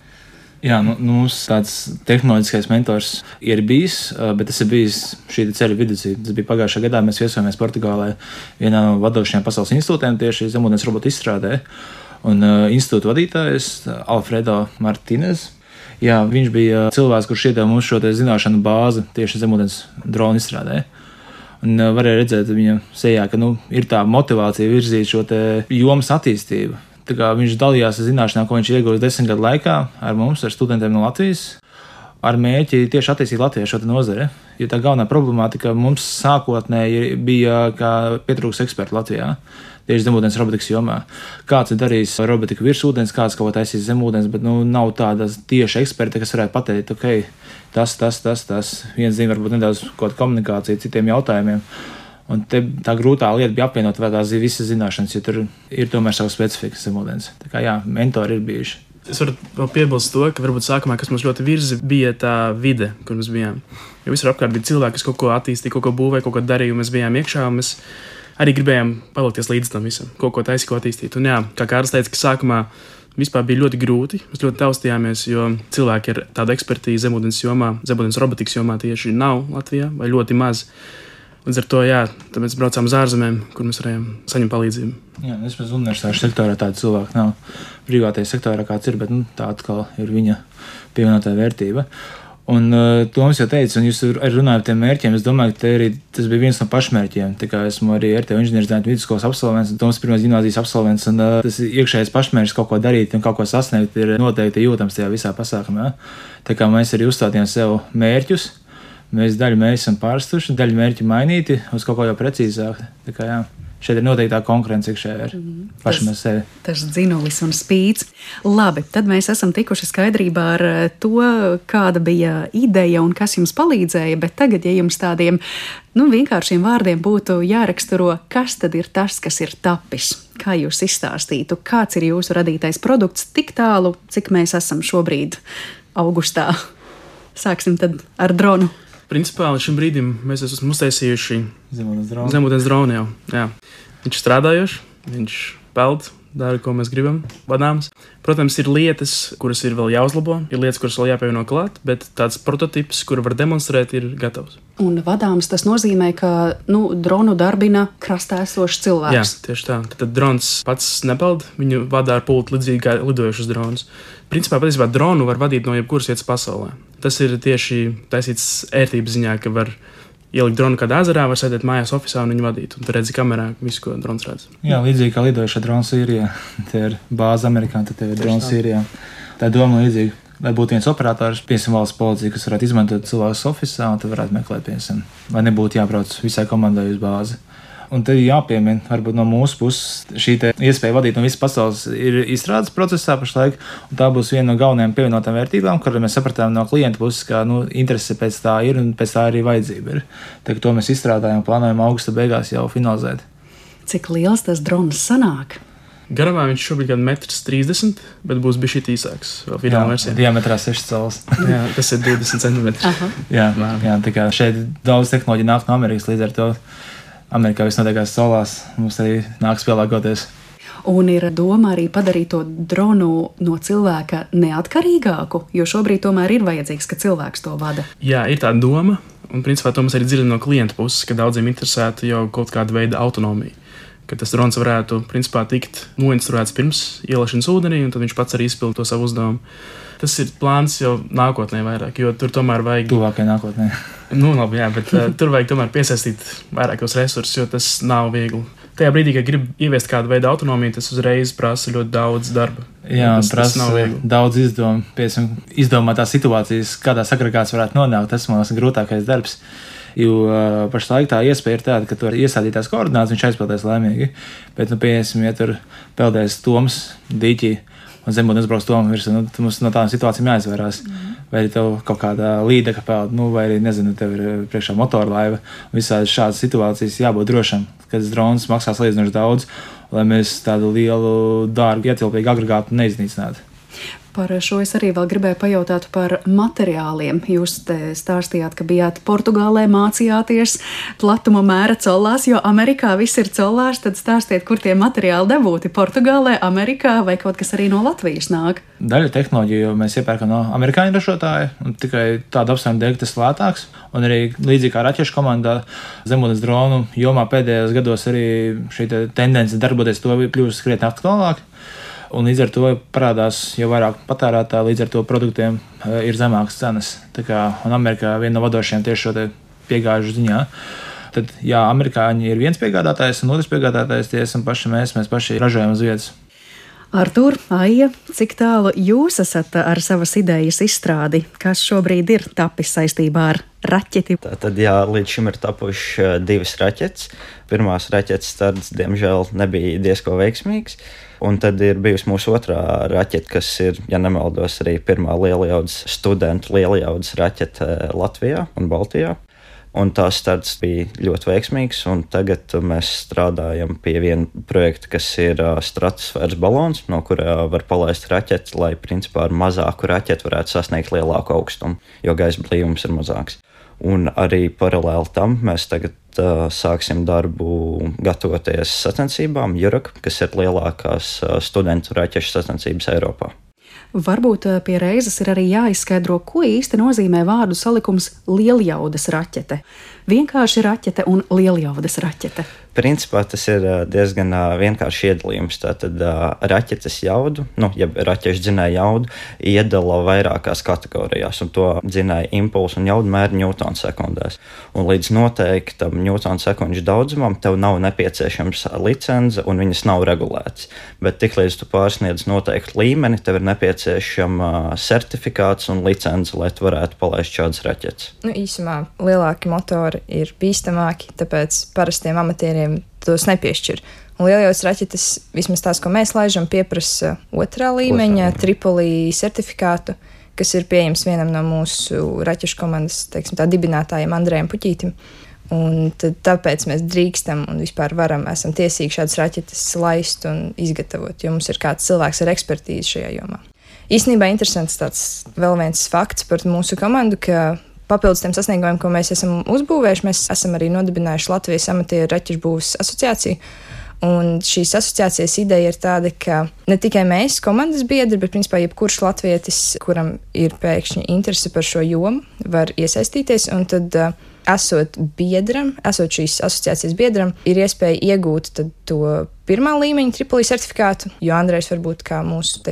Jā, mums tāds tehnoloģiskais mentors ir bijis, bet tas ir bijis šī ceļa vidusī. Tas bija pagājušā gadā, mēs viesojamies Portugālē vienā no vadošajiem pasaules institūtiem tieši zemūdens robotu izstrādē. Un institūta vadītājs Alfredo Martinez. Jā, viņš bija cilvēks, kurš iedeva mums šo zināšanu bāzi tieši zemūdens dronu izstrādē. Un varēja redzēt viņa sejā, ka ir tā motivācija virzīt šo jomas attīstību. Tā kā viņš dalījās ar zināšanām, ko viņš iegūst 10 gadu laikā ar mums, ar studentiem no Latvijas, ar mērķi tieši attīstīt Latvijā šo nozari. Jo tā galvenā problemātika mums sākotnēji bija, kā pietrūks eksperti Latvijā. Tieši zemūdens robotikas jomā. Kāds ir darījis robotiku virs ūdens, kāds kaut ko taisīs zemūdens, bet nav tādas tieši eksperti, kas varētu pateikt, ok, tas. Viens zina varbūt nedaudz kaut kādu komunikāciju citiem jautājumiem. Un te tā grūtā lieta bija apvienot vēl tās visas zināšanas, jo tur ir tomēr savas specifikas zemūdens. Tā kā jā, mentori ir bijuši. Es varu vēl piebilst to, ka varbūt sākumā, kas mums ļoti virza, bija tā vide, kur mēs bijām. Jo visur apkārt bija cilvēki, kas kaut ko attīstīja, kaut ko būvēja, kaut ko darīja, un mēs bijām iekšā, un mēs arī gribējām palikties līdz tam visam, kaut ko taisīt, ko attīstīt. Un jā, kā Kārlis teica, ka sākumā vispār bija ļoti grūti, mēs ļoti taustījāmies, jo cilvēki ar tādu ekspertīzi zemūdens jomā, zemūdens robotikas jomā tieši nav Latvijā, vai ļoti maz. Līdz ar to, tad mēs braucām uz ārzemēm, kur mēs varējām saņemt palīdzību. Jā, vismaz universitāšu sektorā tāda cilvēka nav. Privātajā sektorā kāds ir, bet tā atkal ir viņa pievienotā vērtība. Un Toms jau teica, un jūs arī runājat par tiem mērķiem, es domāju, ka tas bija viens no pašmērķiem. Tā kā esmu arī RTO inženierzinātņu vidusskolas absolvents, un Toms pirmās gimnāzijas absolvents, un tas iekšējais pašmērķis kaut ko darīt un kaut ko sasniegt ir noteikti jūtams tajā visā pasākumā. Tā kā mēs arī uzstādījām sev mērķus, mēs daļu mērķi esam pārstuši, daļu mērķi mainīti uz kaut ko jau precīzāk. Tā kā šeit ir noteikti tā konkurence iekšējā ar pašam ar sevi. Tas dzinulis un spīts. Labi, tad mēs esam tikuši skaidrībā ar to, kāda bija ideja un kas jums palīdzēja, bet tagad, ja jums tādiem vienkāršiem vārdiem būtu jāraksturo, kas tad ir tas, kas ir tapis? Kā jūs izstāstītu, kāds ir jūsu radītais produkts tik tālu, cik mēs esam šobrīd augustā? Sāksim tad ar dronu. Principā līdz šim brīdim mēs esam uztaisījuši zemūdens dronu jau. Jā. Viņš ir strādājošs, viņš peld, dara, ko mēs gribam, vadāms. Protams, ir lietas, kuras ir vēl jāuzlabo, ir lietas, kuras vēl jāpievieno klāt, bet tāds prototips, kuru var demonstrēt, ir gatavs. Un vadāms tas nozīmē, ka dronu darbina krastā esošs cilvēks. Jā, tieši tā. Tad drons pats nepeld, viņu vadā ar pultu līdzīgi kā lidojušus dronus. Principā, patiesībā dronu var vadīt no jebkuras vietas pasaulē. Tas ir tieši taisīts ērtības ziņā, ka var ielikt dronu kādā ezerā, var sēdēt mājās ofisā un viņu vadīt. Un tu redzi kamerā visu, ko drons redz. Jā, līdzīgi kā lidojuša drona Sīrijā. Te ir bāze Amerikā, tad tev ir drona Sīrijā. Tā doma līdzīga. Lai būtu viens operators, piemēram, valsts policija, kas varētu izmantot cilvēkus ofisā, un tad varētu meklēt, piemēram, vai nebūtu jābrauc visai komandai uz bāzi. Un te jāpiemina, varbūt no mūsu puses šī iespēja vadīt no visas pasaules ir izstrādes procesā pašlaik, un tā būs viena no galvenajām pievienotām vērtībām, kur mēs sapratām no klienta puses, ka interese pēc tā ir un pēc tā arī vajadzība ir. Tā, to mēs izstrādājam un plānojam augusta beigās jau finalizēt. Cik liels tas drons sanāk? Garumā viņš šobrīd ir 1,30 m, bet būs bijis šī īsāks. Vēl fināla versija. Diametrā 6 cm. Jā, tas ir 20 cm. Jā, tā kā šeit daudz tehnoloģija nāk no Amerikas, līdz ar to Amerikā viss notiekās solās, mums arī nāks pielāgoties. Un ir doma arī padarīt to dronu no cilvēka neatkarīgāku, jo šobrīd tomēr ir vajadzīgs, ka cilvēks to vada. Jā, ir tā doma, un principā to mēs arī dzirdam no klienta puses, ka daudziem interesēta jau kaut kāda veida autonomija. Ka tas drons varētu principā tikt noinstruēts pirms ielaišanas ūdenī, un tad viņš pats arī izpild to savu uzdevumu. Tas ir plāns jau nākotnē vairāk, jo tur tomēr vajag... Tuvākai nākotnē. Labi, jā, bet tur vajag tomēr piesaistīt vairākos resursus, jo tas nav viegli. Tajā brīdī, kad grib ieviest kādu veidu autonomiju, tas uzreiz prasa ļoti daudz darba. Jā, prasa daudz izdomātās situācijas, kādā agregāts varētu nonākt. Tas, man liekas, ir grūtākais darbs. Jo pašlaik tā iespēja ir tāda, ka tur iesādītās koordinācijas viņš aizpildēs laimīgi. Bet, piemēram, ja tur peldēs Toms dīķī un zemūdens brauks Tomu virsū, mums no tādām situācijām jāizvairās. Vai arī tev kaut kādā līdeka peld, vai arī, nezinu, tev ir priekšā motorlaiva. Visādi šādas situācijas jābūt drošam, kad tas drons maksās salīdzinoši daudz, lai mēs tādu lielu, dārgu, ietilpīgu agregātu neiznīcinātu. Par šo es arī vēl gribēju pajautāt par materiāliem. Jūs te stāstījāt, ka bijāt Portugālē, mācījāties platuma mēra collās, jo Amerikā viss ir collās, tad stāstiet, kur tie materiāli dabūti Portugālē, Amerikā vai kaut kas arī no Latvijas nāk? Daļa tehnoloģiju mēs iepērkam no amerikāņu ražotāja, un tikai tāda apsvēruma dēļ, ka tas lētāks. Un arī līdzīgi kā raķešu komandā zemūdens dronu jomā pēdējos gados arī šī tendence darboties to kļūst krietni aktuālāk. Un līdz ar to parādās jau vairāk patērētāji, līdz ar to produktiem ir zemākas cenas. Un Amerikā viena no vadošajiem tieši šo piegāžu ziņā. Tad, jā, amerikāņi ir viens piegādātājs, un otrs piegādātājs tie esam paši mēs paši ražojam uz vietas. Artūr, Aija, cik tālu jūs esat ar savas idejas izstrādi, kas šobrīd ir tapis saistībā ar raķeti? Tad, jā, līdz šim ir tapuši 2 raķetes. Pirmās raķetes starts, diemžēl, nebija diezko veiksmīgs. Un tad ir bijusi mūsu otrā raķete, kas ir, ja nemaldos, arī pirmā lielajaudas studentu lielajaudas raķete Latvijā un Baltijā. Un tās starts bija ļoti veiksmīgs, un tagad mēs strādājam pie viena projekta, kas ir stratosfēras balons, no kura var palaist raķeti, lai principā ar mazāku raķeti varētu sasniegt lielāku augstumu, jo gaisa blīvums ir mazāks. Un arī paralēli tam mēs tagad sāksim darbu gatavoties sacensībām Jurak, kas ir lielākās studentu raķešu sacensības Eiropā. Varbūt pie reizes ir arī jāizskaidro, ko īsti nozīmē vārdu salikums lieljaudas raķete. Vienkārši raķete un lieljaudas raķete. Principā tas ir diezgan vienkārši iedalījums. Tātad raķetes jaudu, jeb raķešu dzinēju jaudu, iedala vairākās kategorijās, un to dzinēju impulsu un jaudu mēra ņūtonsekundēs. Un līdz noteiktam ņūtonsekundžu daudzumam tev nav nepieciešams licence, un viņas nav regulētas. Bet tiklīdz tu pārsniedz noteiktu līmeni, tev ir nepieciešama certifikāts un licence, lai tu varētu palaist šādas raķetes. Īsumā lielāki motori ir bīstamāki, tāpēc parastiem amatieriem tos nepiešķir. Un lielajaudas raķetes, vismaz tās, ko mēs laižam, pieprasa otrā līmeņa Tripolī certifikātu, kas ir pieejams vienam no mūsu raķešu komandas, dibinātājiem Andrejam Puķītim. Un tāpēc mēs drīkstam un vispār esam tiesīgi šādas raķetes laist un izgatavot, jo mums ir kāds cilvēks ar ekspertīzi šajā jomā. Īstenībā interesants tāds vēl viens fakts par mūsu komandu, ka papildus tiem sasniegumiem, ko mēs esam uzbūvējuši, mēs esam arī nodibinājuši Latvijas amatieru raķešu būves asociāciju. Un šīs asociācijas ideja ir tāda, ka ne tikai mēs, komandas biedri, bet principā jebkurš latvietis, kuram ir pēkšņi interese par šo jomu, var iesaistīties. Un tad, esot šīs asociācijas biedram, ir iespēja iegūt to pirmā līmeņa Tripolī certifikātu, jo Andrejs var būt kā mūsu,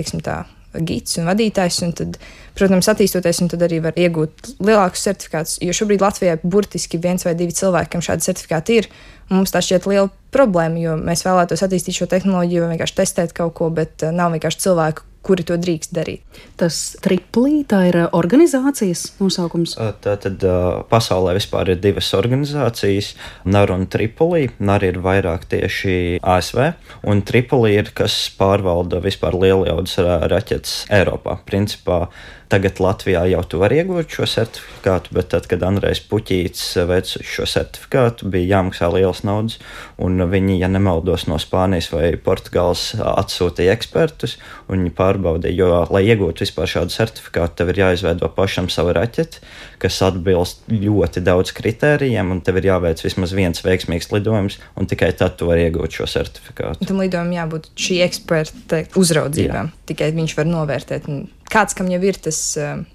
gids un vadītājs, un tad, protams, attīstoties, un tad arī var iegūt lielākus certifikātus, jo šobrīd Latvijā burtiski 1 vai 2 cilvēki, kam šādi certifikāti ir, un mums tā šķiet liela problēma, jo mēs vēlētos attīstīt šo tehnoloģiju, vienkārši testēt kaut ko, bet nav vienkārši cilvēku, kuri to drīkst darīt. Tas Triplī, tā ir organizācijas nosaukums? Tātad pasaulē vispār ir 2 organizācijas, NAR un Tripolī. NAR ir vairāk tieši ASV, un Tripolī ir, kas pārvalda vispār lielajaudas raķetes Eiropā. Principā tagad Latvijā jau tu vari iegūt šo certifikātu, bet tad, kad Andrejs Puķīts veica šo certifikātu, bija jāmaksā liels naudas, un viņi, ja nemaldos, no Spānijas vai Portugāles atsūtīja ekspertus, un viņi pārbaudīja, jo, lai iegūtu vispār šādu certifikātu, tev ir jāizveido pašam savu raķeti, kas atbilst ļoti daudz kritērijiem, un tev ir jāveic vismaz viens veiksmīgs lidojums, un tikai tad tu vari iegūt šo certifikātu. Tam lidojumam jābūt šī eksperta uzraudzībām, tikai viņš var novērtēt. Kāds, kam jau ir tas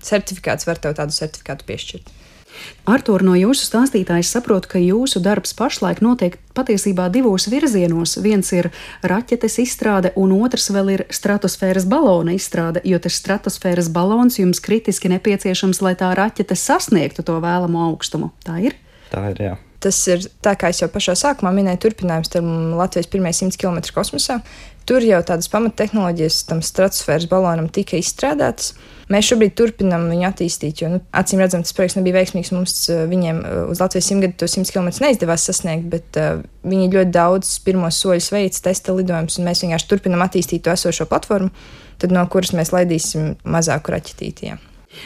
certifikāts, var tev tādu certifikātu piešķirt. Artūr, no jūsu stāstītā es saprotu, ka jūsu darbs pašlaik notiek patiesībā 2 virzienos. Viens ir raķetes izstrāde, un otrs vēl ir stratosfēras balona izstrāde, jo tas stratosfēras balons jums kritiski nepieciešams, lai tā raķete sasniegtu to vēlamo augstumu. Tā ir? Tā ir, jā. Tas ir tā, kā es jau pašā sākumā minēju, turpinājums tam Latvijas pirmie 100 km kosmosā. Tur jau tādas pamattehnoloģijas tam stratosfēras balonam tika izstrādātas. Mēs šobrīd turpinām viņu attīstīt, jo, acīm redzam, tas projekts nebija veiksmīgs. Mums viņiem uz Latvijas 100 gadu to 100 km neizdevās sasniegt, bet viņi ļoti daudz pirmos soļus veids, testa lidojumus, un mēs vienkārši turpinām attīstīt to esošo platformu, tad no kuras mēs laidīsim mazāku raķetīti. Jā.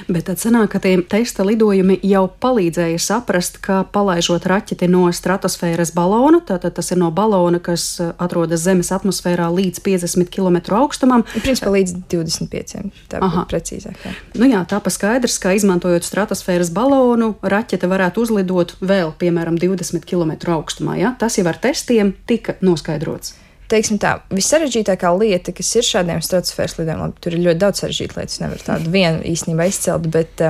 Bet tad sanāk, ka tie testa lidojumi jau palīdzēja saprast, ka palaižot raķeti no stratosfēras balona, tātad tas ir no balona, kas atrodas Zemes atmosfērā līdz 50 km augstumam. Principā līdz 25, tā būtu precīzāk. Jā. Jā, tā pa skaidrs, ka izmantojot stratosfēras balonu, raķete varētu uzlidot vēl, piemēram, 20 km augstumā. Ja? Tas jau ar testiem tika noskaidrots. Teiksim tā, vissarežģītākā lieta, kas ir šādiem stratosfēras lidojumiem, tur ir ļoti daudz sarežģītu lietas, nevar tādu vienu īstenībā izcelt, bet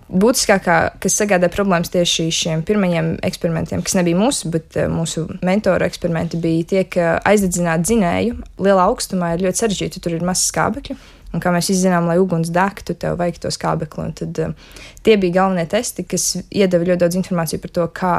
būtiskākā, kas sagādā problēmas tieši šiem pirmajiem eksperimentiem, kas nebija mūsu, bet mūsu mentoru eksperimenti bija tie, ka aizdedzināt dzinēju lielā augstumā ir ļoti sarežģīti, tur ir maz skābekļu. Un kā mēs izzinām, lai uguns degtu, tev vajag to skābekli. Un tad tie bija galvenie testi, kas iedeva ļoti daudz informāciju par to, kā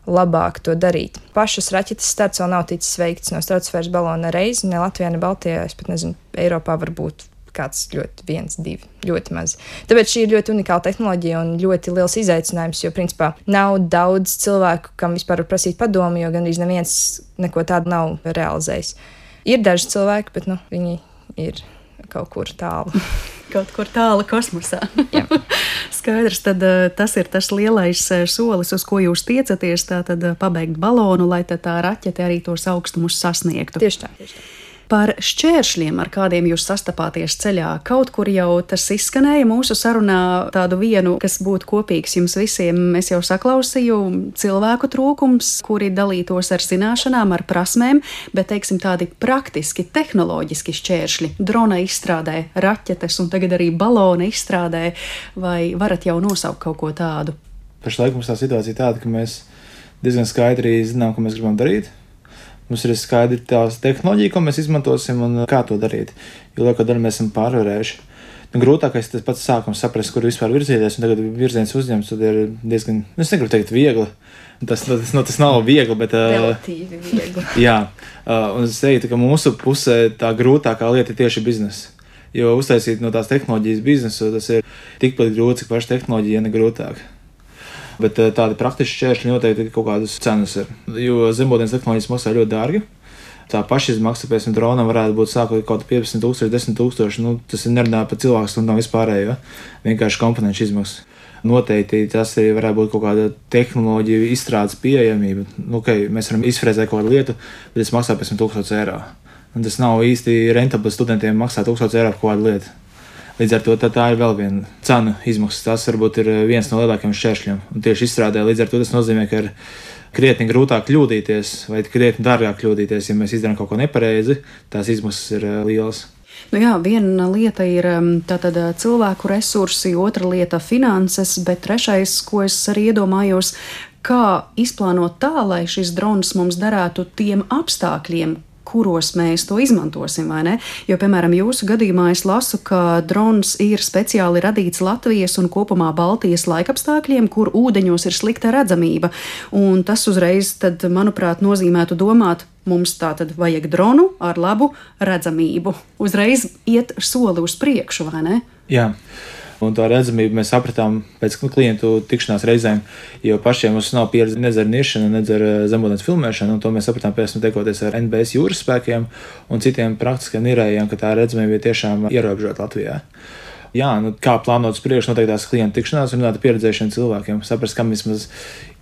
labāk to darīt. Pašas raķetes starts vēl nav ticis veikts no stratosfēras balona reizi, ne Latvijā, ne Baltijā, es pat nezinu, Eiropā varbūt kāds ļoti 1, 2, ļoti maz. Tāpēc šī ir ļoti unikāla tehnoloģija un ļoti liels izaicinājums, jo principā nav daudz cilvēku, kam vispār var prasīt padomu, jo gandrīz neviens neko tādu nav realizējis. Ir daži cilvēki, bet viņi ir kaut kur tālu. Kaut kur tālu kosmosā. Skaidrs, tad tas ir tas lielais solis, uz ko jūs tiecaties, tātad pabeigt balonu, lai tā raķete arī tos augstumus sasniegtu. Tieši tā. Par šķēršļiem, ar kādiem jūs sastapāties ceļā, kaut kur jau tas izskanēja mūsu sarunā tādu vienu, kas būtu kopīgs jums visiem. Es jau saklausīju cilvēku trūkums, kuri dalītos ar zināšanām, ar prasmēm, bet, teiksim, tādi praktiski, tehnoloģiski šķēršļi, drona izstrādē, raķetes un tagad arī balona izstrādē, vai varat jau nosaukt kaut ko tādu? Pašlaik mums tā situācija tāda, ka mēs diezgan skaidri zinām, ko mēs gribam darīt. Mums ir skaidri tās tehnoloģija, ko mēs izmantosim un kā to darīt. Jo lielāko daļu mēs esam pārvarējuši. Grūtākais tas pats sākums saprast, kur vispār virzīties, un tagad virziens uzņemts, tad ir diezgan, es negribu teikt viegli. Tas nav viegli, bet... Relatīvi viegli. Jā, un es teiktu, ka mūsu pusē tā grūtākā lieta ir tieši biznesa. Jo uztaisīt no tās tehnoloģijas biznesu, tas ir tikpat grūti, cik paša tehnoloģija, ja ne grūtāk. Bet tādi praktiski šķēršļi noteikti kaut kādas cenas ir. Jo zemūdens tehnoloģijas maksā ļoti dārgi. Tā pašizmaksa pēc dronam varētu būt sākot kaut 15,000, 10,000. Tas ir nerunājot par cilvēku stundām vispārējo. Vienkārši komponentu izmaksa. Noteikti tas arī varētu būt kaut kāda tehnoloģija izstrādes pieejamība. Mēs varam izfrēzēt kaut kādu lietu, bet tas maksā pēc 1,000 eiro. Un tas nav īsti rentabli studentiem maksāt 1,000 eiro par kādu lietu. Līdz ar to tā ir vēl viena cena izmaksas. Tas varbūt ir viens no lielākajiem šķēršļiem. Un tieši izstrādē līdz ar to tas nozīmē, ka ir krietni grūtāk kļūdīties vai krietni dārgāk kļūdīties. Ja mēs izdarām kaut ko nepareizi, tās izmaksas ir lielas. Viena lieta ir tātad cilvēku resursi, otra lieta finanses, bet trešais, ko es arī iedomājos, kā izplānot tā, lai šis drons mums derētu tiem apstākļiem, kuros mēs to izmantosim, vai ne? Jo, piemēram, jūsu gadījumā es lasu, ka drons ir speciāli radīts Latvijas un kopumā Baltijas laikapstākļiem, kur ūdeņos ir slikta redzamība. Un tas uzreiz, tad, manuprāt, nozīmētu domāt, mums tā tad vajag dronu ar labu redzamību. Uzreiz iet soli uz priekšu, vai ne? Jā. Un tā redzamību mēs sapratām pēc klientu tikšanās reizēm, jo pašiem mums nav pieredze nedz ar nišanu, nedz ar zemūdens filmēšanu, un to mēs sapratām pēc tam tekoties ar NBS jūras spēkiem un citiem praktiskiem nirējiem, ka tā redzamība ir tiešām ierobežota Latvijā. Jā, kā plānot uz priekšu noteiktās klientu tikšanās, runāt ar pieredzējušiem cilvēkiem, saprast, kam vismaz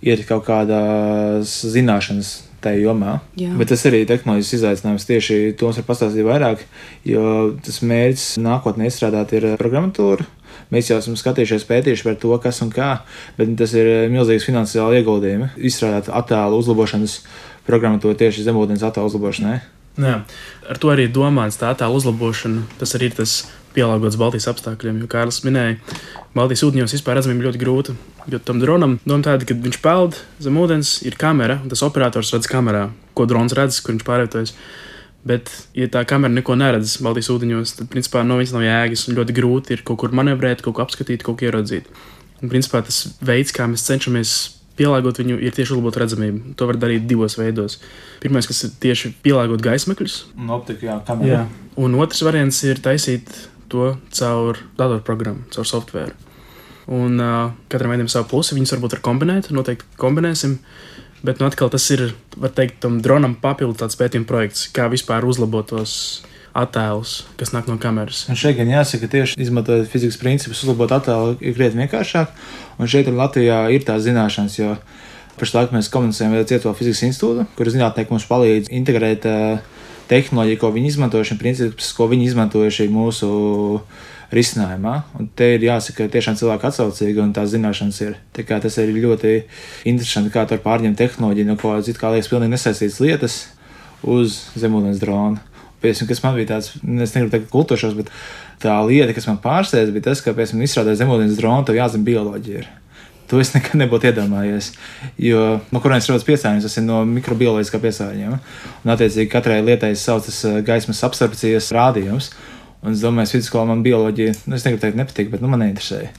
ir kaut kādas zināšanas tajā jomā. Jā. Bet tas arī tehnoloģijas izaicinājums, tieši to mums var pastāstīt vairāk, jo tas mērķis nākotnē izstrādāt ir programmatūra. Mēs jau esam skatījušies, pētījuši par to, kas un kā, bet tas ir milzīgs finansiāli ieguldījumi. Izstrādāt attēlu uzlabošanas programmatūru tieši zemūdens attēlu uzlabošanai. Jā, ar to arī domāts tā attēlu uzlabošana. Tas arī ir tas pielāgots Baltijas apstākļiem, jo Kārlis minēja, Baltijas ūdeņos vispār redzamība ļoti grūta, jo tam dronam doma tāda, kad viņš peld zem ūdens, ir kamera, un tas operators redz kamerā, ko drons redz, kur viņš pārvietojas. Bet, ja tā kamera neko neredz Baltijas ūdeņos, tad, principā, viņas nav jēgas un ļoti grūti ir kaut kur manevrēt, kaut ko apskatīt, kaut ko ieraudzīt. Un, principā, tas veids, kā mēs cenšamies pielāgot viņu, ir tieši uzlabot redzamību. To var darīt divos veidos. Pirmais, kas ir tieši pielāgot gaismekļus. Un optika, jā, kamera. Jā. Un otrs variants ir taisīt to caur datorprogrammu, caur softvēru. Un katram veidam savu plusi, viņus varbūt var kombinēt, noteikti kombinēsim. Bet atkal tas ir, var teikt, tam dronam papildu tāds pētījuma projekts, kā vispār uzlabot tos attēlus, kas nāk no kameras. Un šeit gan jāsaka, tieši izmantojot fizikas principus, uzlabot attēlu ir krietni vienkāršāk. Un šeit Latvijā ir tās zināšanas, jo pašlaik mēs komunicējam ar Cieto fizikas institūtu, kur zinātnieki mums palīdz integrēt tehnoloģiju, ko viņi izmantojuši, principus, ko viņi izmantojuši mūsu risinājumā. Un te ir jāsaka, tiešām cilvēki atsaucīgi un tās zināšanas ir. Tā kā tas ir ļoti interesanti, kā tur pārņemt tehnoloģiju, no ko it kā liekas pilnīgi nesaistītas lietas uz zemūdens dronu. Piemēram, kas man bija tāds, es negribu teikt kultošos, bet tā lieta, kas man pārsteidz, bija tas, ka, piemēram, izstrādāt zemūdens dronu, tev jāzina bioloģija ir. To es nekad nebūtu iedomājies, jo no kurienes rodas piesārņojums, tas ir no mikrobioloģiskā piesārņojuma. Un, attiecīgi, katrai lietai saucas gaismas absorpcijas rādījums. Un es domāju, ka vidusskolā man bioloģija, es negribu teikt, nepatīk, bet man neinteresēja.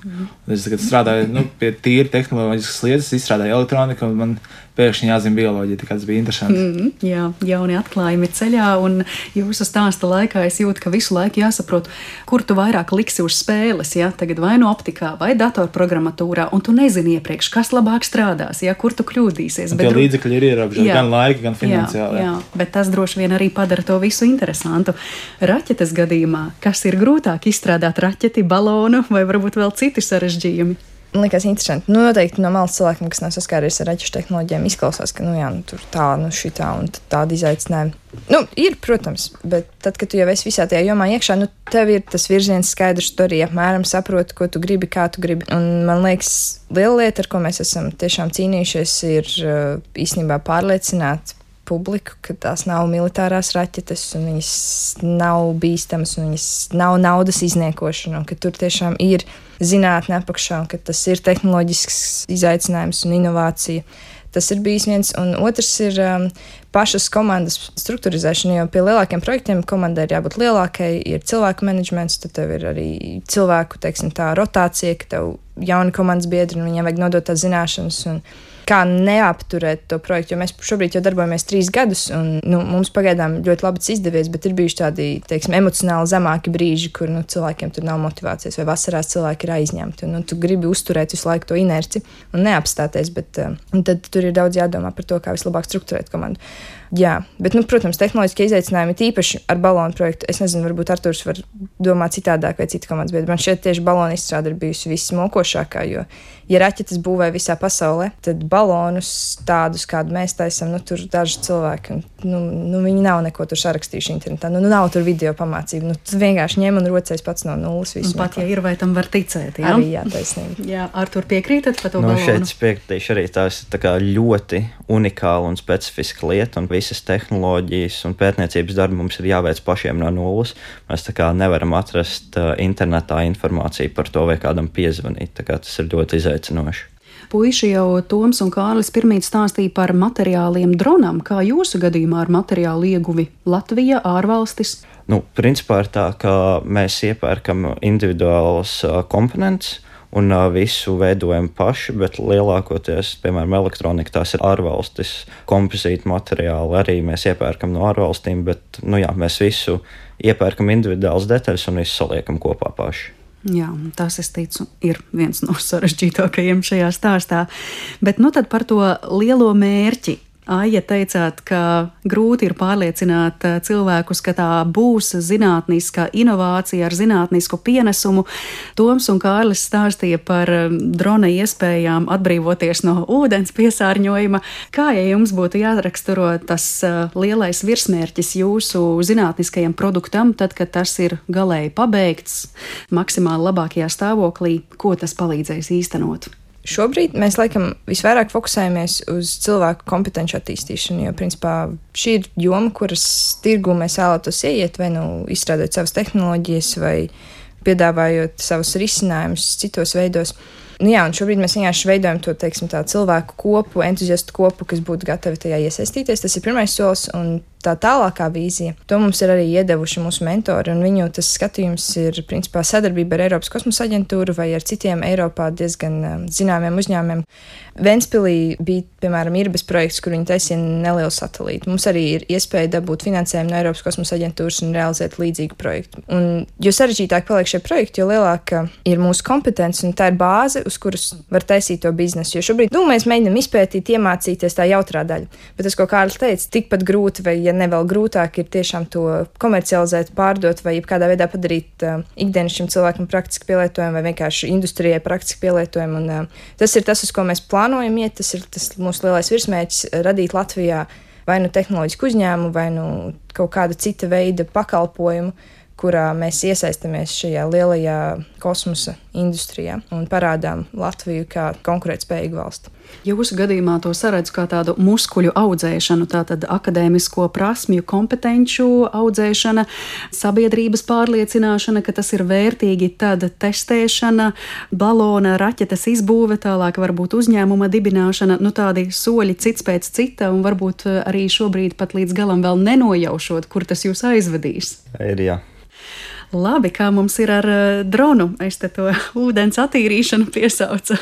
Es tagad strādāju pie tīri tehnoloģiskas lietas, izstrādāju elektroniku, un man pēkšņi jāzina bioloģija, tā kā tas bija interesanti. Jā, jauni atklājumi ceļā, un jūsu stāsta laikā es jūtu, ka visu laiku jāsaprot, kur tu vairāk liksi uz spēles, ja? Tagad vai no optikā, vai datorprogrammatūrā, un tu nezini iepriekš, kas labāk strādās, ja? Kur tu kļūdīsies. Tie līdzekļi ir ierobežoti, gan laika, gan finansiāli. Jā, bet tas droši vien arī padara to visu interesantu. Raķetes gadījumā, kas ir grūtāk izstrādāt raķeti, balonu vai varbūt vēl citi sarežģījumi? Man liekas interesanti. Noteikti no malas cilvēkiem, kas nav saskāries ar raķešu tehnoloģijām, izklausās, ka tur tā, šitā un tāda izaicinājuma. Ir, protams, bet tad, kad tu jau esi visā tajā jomā iekšā, tev ir tas virziens skaidrs, tu arī apmēram saproti, ko tu gribi, kā tu gribi. Un man liekas, liela lieta, ar ko mēs esam tiešām cīnījušies, ir īstenībā pārliecināt publiku, ka tās nav militārās raķetes un viņas nav bīstamas un viņas nav naudas izniekošana un ka tur tiešām ir zinātne apakšā un ka tas ir tehnoloģisks izaicinājums un inovācija. Tas ir bijis viens, un otrs ir pašas komandas strukturizēšana, jo pie lielākiem projektiem komandai ir jābūt lielākai, ir cilvēku menedžments, tad tev ir arī cilvēku, teiksim tā, rotācija, ka tev jauni komandas biedri un viņiem vajag nodot tās zināšanas un kā neapturēt to projektu, jo mēs šobrīd jau darbojamies 3 gadus, un mums pagaidām ļoti labi tas izdevies, bet ir bijuši tādi, teiksim, emocionāli zemāki brīži, kur cilvēkiem tur nav motivācijas, vai vasarās cilvēki ir aizņemti, un tu gribi uzturēt visu laiku to inerci un neapstāties, bet tad tur ir daudz jādomā par to, kā vislabāk strukturēt komandu. Jā, bet, protams, tehnoloģiskie izaicinājumi tīpaši ar balonu projektu. Es nezinu, varbūt Arturs var domāt citādāk vai cita komandas, bet man šeit tieši balonu izstrāde ir bijusi vismokošākā, jo, ja raķetes būvē visā pasaulē, tad balonus tādus, kādu mēs taisam, tur daži cilvēki, viņi nav neko tur sarakstījuši internetā, nav tur video pamācību, tu vienkārši ņem un rocēs pats no nulles visu. Un pat, ja ir, vai tam var ticēt, jā? Arī, jā, taisnība. Jā, Artur, piekrītat par to balonu? Šeit es piekritīšu arī tās tā kā ļoti unikāla un specifiska lieta, un visas tehnoloģijas un pētniecības darbi mums ir jāveic pašiem no nulles. Mēs tā kā nevaram atrast internetā informāciju par to vai kādam piezvanīt. Tā kā tas ir ļoti izaicinoši. Puiši jau Toms un Kārlis pirmīt stāstīja par materiāliem dronam. Kā jūsu gadījumā ar materiālu ieguvi Latvija, ārvalstis? Principā ir tā, ka mēs iepērkam individuālas komponentes un visu veidojam paši, bet lielākoties, piemēram, elektronika, tās ir ārvalstis, kompozīta materiāli arī mēs iepērkam no ārvalstīm, bet, mēs visu iepērkam individuālas detaļas un visu saliekam kopā paši. Jā, tas, es ticu, ir viens no sarežģītākajiem šajā stāstā. Bet tad par to lielo mērķi. Aija, teicāt, ka grūti ir pārliecināt cilvēkus, ka tā būs zinātniska inovācija ar zinātnisku pienesumu. Toms un Kārlis stāstīja par drona iespējām atbrīvoties no ūdens piesārņojuma. Kā, ja jums būtu jāraksturo tas lielais virsmērķis jūsu zinātniskajam produktam, tad, kad tas ir galēji pabeigts, maksimāli labākajā stāvoklī, ko tas palīdzēs īstenot? Šobrīd mēs laikam visvairāk fokusējamies uz cilvēku kompetenci attīstīšanu, jo principā šī ir joma, kuras tirgu mēs vēlētos ieiet, vai izstrādāt savas tehnoloģijas, vai piedāvājot savus risinājumus citos veidos. Un šobrīd mēs vienkārši veidojam to, tā cilvēku kopu, entuziastu kopu, kas būtu gatavi tajā iesaistīties. Tas ir pirmais solis, un tā tālākā vīzija. To mums ir arī iedevuši mūsu mentori, un viņu tas skatījums ir principā sadarbība ar Eiropas kosmosa aģentūru vai ar citiem Eiropā diezgan zināmiem uzņēmumiem. Ventspilī bija, piemēram, Irbes projekts, kur viņi taisīja nelielu satelītu. Mums arī ir iespēja dabūt finansējumu no Eiropas kosmosa aģentūras un realizēt līdzīgu projektu. Un jo sarežģītāk paliek šie projekti, jo lielāka ir mūsu kompetence, un tā ir bāze, uz kuras var taisīt to biznesu. Jo šobrīd mēs mēģinām izpētīt, iemācīties tā jautrā daļa. Bet tas, ko Kārlis teica, tikpat grūti vai ja ne vēl grūtāk ir tiešām to komercializēt, pārdot vai kādā veidā padarīt ikdienas šim cilvēkam praktiski pielietojumu vai vienkārši industrijai praktiski pielietojumu. Un tas ir tas, uz ko mēs plānojam iet, tas ir tas mūsu lielais virsmērķis - radīt Latvijā vai tehnoloģisku uzņēmumu, vai kaut kāda cita veida pakalpojumu, kurā mēs iesaistamies šajā lielajā kosmosa industrijā un parādām Latviju kā konkurētspējīgu valsti. Jūsu gadījumā to saredzu kā tādu muskuļu audzēšanu, tātad akadēmisko prasmju, kompetenču audzēšana, sabiedrības pārliecināšana, ka tas ir vērtīgi, tad testēšana, balona, raķetes izbūve, tālāk varbūt uzņēmuma dibināšana, tādi soļi cits pēc cita, un varbūt arī šobrīd pat līdz galam vēl nenojaušot, kur tas jūs aizvedīs. Jā. Labi, kā mums ir ar dronu, es te to ūdens attīrīšanu piesaucu,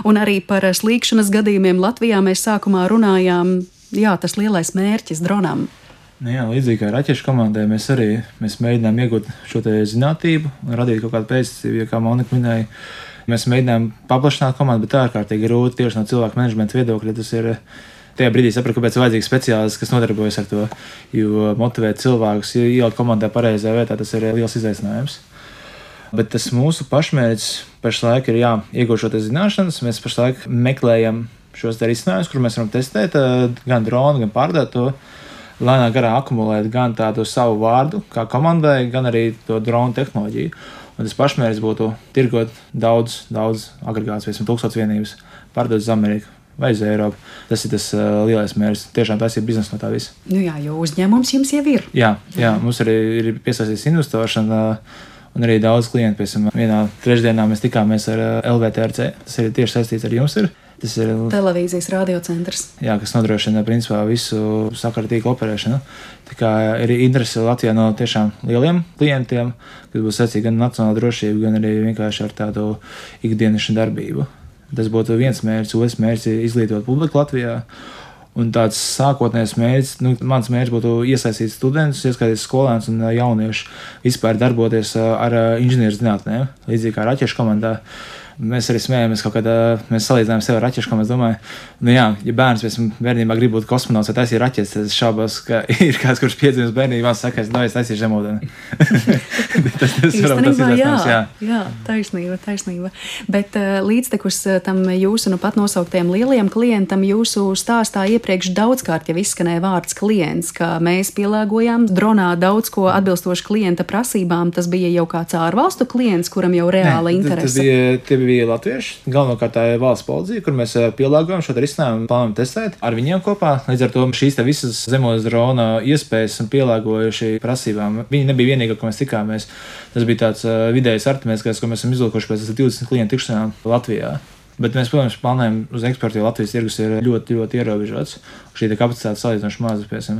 un arī par slīkšanas gadījumiem Latvijā mēs sākumā runājām, tas lielais mērķis dronam. Līdzīgi kā raķešu komandai, mēs mēģinām iegūt šo te zinātību un radīt kaut kādu pēcticību, kā Monika minēja. Mēs mēģinām paplašināt komandu, bet tā ārkārtīgi grūti tieši no cilvēku menedžmenta viedokļa. Tas ir tajā brīdī sapratu, kāpēc ir vajadzīgs speciālists, kas nodarbojas ar to, jo motivēt cilvēkus, ielikt komandā pareizajā vietā, tas ir liels izaicinājums. Bet tas mūsu pašmērķis pašlaik ir iegūt šo zināšanas. Mēs pašlaik meklējam šos risinājumus, kur mēs varam testēt gan dronu, gan pārdot to, lēnā garā akumulēt gan tādu savu vārdu kā komandai, gan arī to dronu tehnoloģiju. Un tas pašmērķis būtu tirgot daudz agregātus, 1000 vienības, pārdot uz Ameriku vai uz Eiropu. Tas ir tas lielais mērķis. Tiešām tas ir biznesa no tā visa. Jo uzņēmums jums jau ir. Jā, mums arī ir piesaistīts investors un arī daudz klientu. Piemēram, vienā trešdienā mēs tikāmies ar LVTRC. Tas ir tieši saistīts ar jums. Tas ir televīzijas radiocentrs. Jā, kas nodrošina principā visu sakaru tīklu operēšanu. Tā kā ir interese Latvijā no tiešām lieliem klientiem, kas būs saistīti gan nacionāla drošība, gan arī vienkārši ar tādu ikdienišu darbību. Tas būtu viens mērķis, otrs mērķis ir izglītot publiku Latvijā. Un tāds sākotnējs mērķis, mans mērķis būtu iesaistīt studentus, ieskaitīt skolēnus un jauniešus, vispār darboties ar inženierzinātnēm, līdzīgi kā raķešu komandā. Mēs arī smējamies kaut kādā, mēs salīdzinājām sevi ar raķešu, kā mēs domājam, ja bērns pēc bērnībā grib būt kosmonauts, vai taisīt raķetes, tad es šaubos, ka ir kāds, kurš piedzimis bērnībā, saka, es taisīšu zemūdeni. Jā, taisnība. Bet līdztekus tam jūsu pat nosauktiem lielajiem klientam, jūsu stāstā iepriekš daudzkārt jau izskanēja vārds klients, ka mēs pielāgojām dronā daudz ko atbilstoši klienta prasībām. Tas bija jau kāds ārvalstu klients, kuram jau reāla interese. Tie bija latvieši, galvenokārt tā ir valsts policija, kur mēs pielāgojam šo risinājumu, plānojam testēt ar viņiem kopā. Līdz ar to šīs visas zemos drona iespējas un pielāgojuši prasībām. Viņi nebija vienīgā, ko mēs tikāmies. Tas bija tāds vidējs artimēs, ko mēs esam izlūkojuši pēc 20 klientu tikšanām Latvijā. Bet mēs, protams, plānojam uz eksportu, jo Latvijas tirgus ir ļoti, ļoti ierobežots. Šī kapacitāte salīdzinoši maza.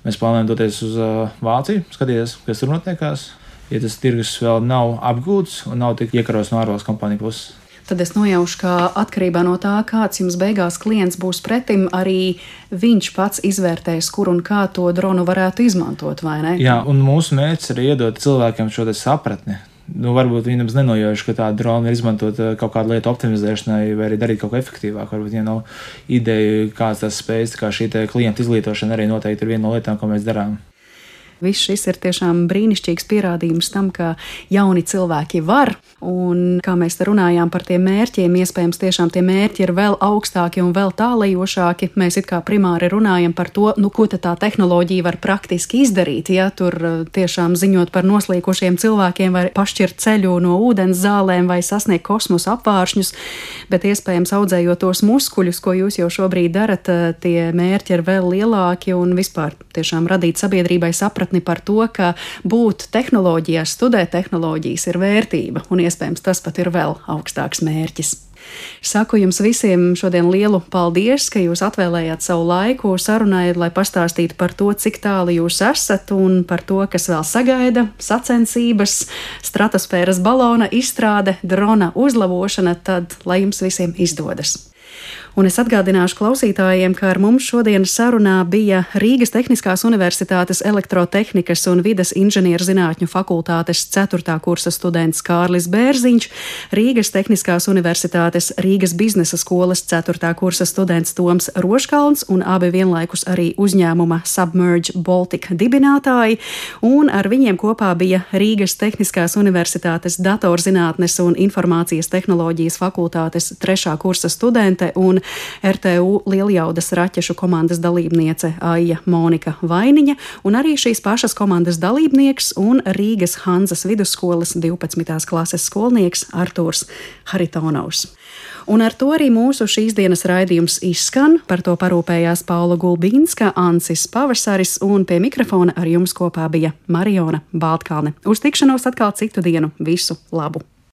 Mēs plānojam doties uz Vāciju, skatīties, kas tur notiekās. Ja tas tirgus vēl nav apgūts un nav tik iekaros no ārvalstu kompāniju puses. Tad es nojaušu, ka atkarībā no tā, kāds jums beigās klients būs pretim, arī viņš pats izvērtēs, kur un kā to dronu varētu izmantot, vai ne? Jā, un mūsu mērķis ir iedot cilvēkiem šo sapratni. Varbūt viņi nemaz nenojauš, ka tā drona ir izmantot kaut kādu lietu optimizēšanai vai arī darīt kaut ko efektīvāk. Varbūt, ja nav ideja, kāds tas spējas, kā šī klienta izglītošana arī noteikti ir viena no lietām, ko mēs darām. Viss šis ir tiešām brīnišķīgs pierādījums tam, ka jauni cilvēki var, un kā mēs te runājām par tiem mērķiem, iespējams tiešām tie mērķi ir vēl augstāki un vēl tālajošāki. Mēs it kā primāri runājam par to, ko tad tā tehnoloģija var praktiski izdarīt, ja tur tiešām ziņot par noslīkušiem cilvēkiem vai pašķirt ceļu no ūdens zālēm vai sasniegt kosmosa apvāršņus, bet iespējams audzējot tos muskuļus, ko jūs jau šobrīd darat, tie mērķi ir vēl lielāki un vispār tiešām radīt sabiedrībai sapratni par to, ka būt tehnoloģijās, studēt tehnoloģijas ir vērtība, un iespējams tas pat ir vēl augstāks mērķis. Saku jums visiem šodien lielu paldies, ka jūs atvēlējāt savu laiku sarunai, lai pastāstītu par to, cik tālu jūs esat un par to, kas vēl sagaida, sacensības, stratosfēras balona izstrāde, drona uzlabošana, tad lai jums visiem izdodas. Un es atgādināšu klausītājiem, ka ar mums šodienas sarunā bija Rīgas Tehniskās Universitātes elektrotehnikas un vides inženierzinātņu fakultātes 4. kursa students Kārlis Bērziņš, Rīgas Tehniskās Universitātes Rīgas biznesa skolas 4. kursa students Toms Roškalns un abi vienlaikus arī uzņēmuma Submerge Baltic dibinātāji, un ar viņiem kopā bija Rīgas Tehniskās Universitātes datorzinātnes un informācijas tehnoloģijas fakultātes 3. kursa studente un RTU Lieljaudas raķešu komandas dalībniece Aija Monika Vainiņa un arī šīs pašas komandas dalībnieks un Rīgas Hanzas vidusskolas 12. klases skolnieks Artūrs Haritonovs. Un ar to arī mūsu šīs dienas raidījums izskan. Par to parūpējās Paula Gulbīnska, Ancis Pavasaris un pie mikrofona ar jums kopā bija Mariona Baltkalne. Uz tikšanos atkal citu dienu. Visu labu!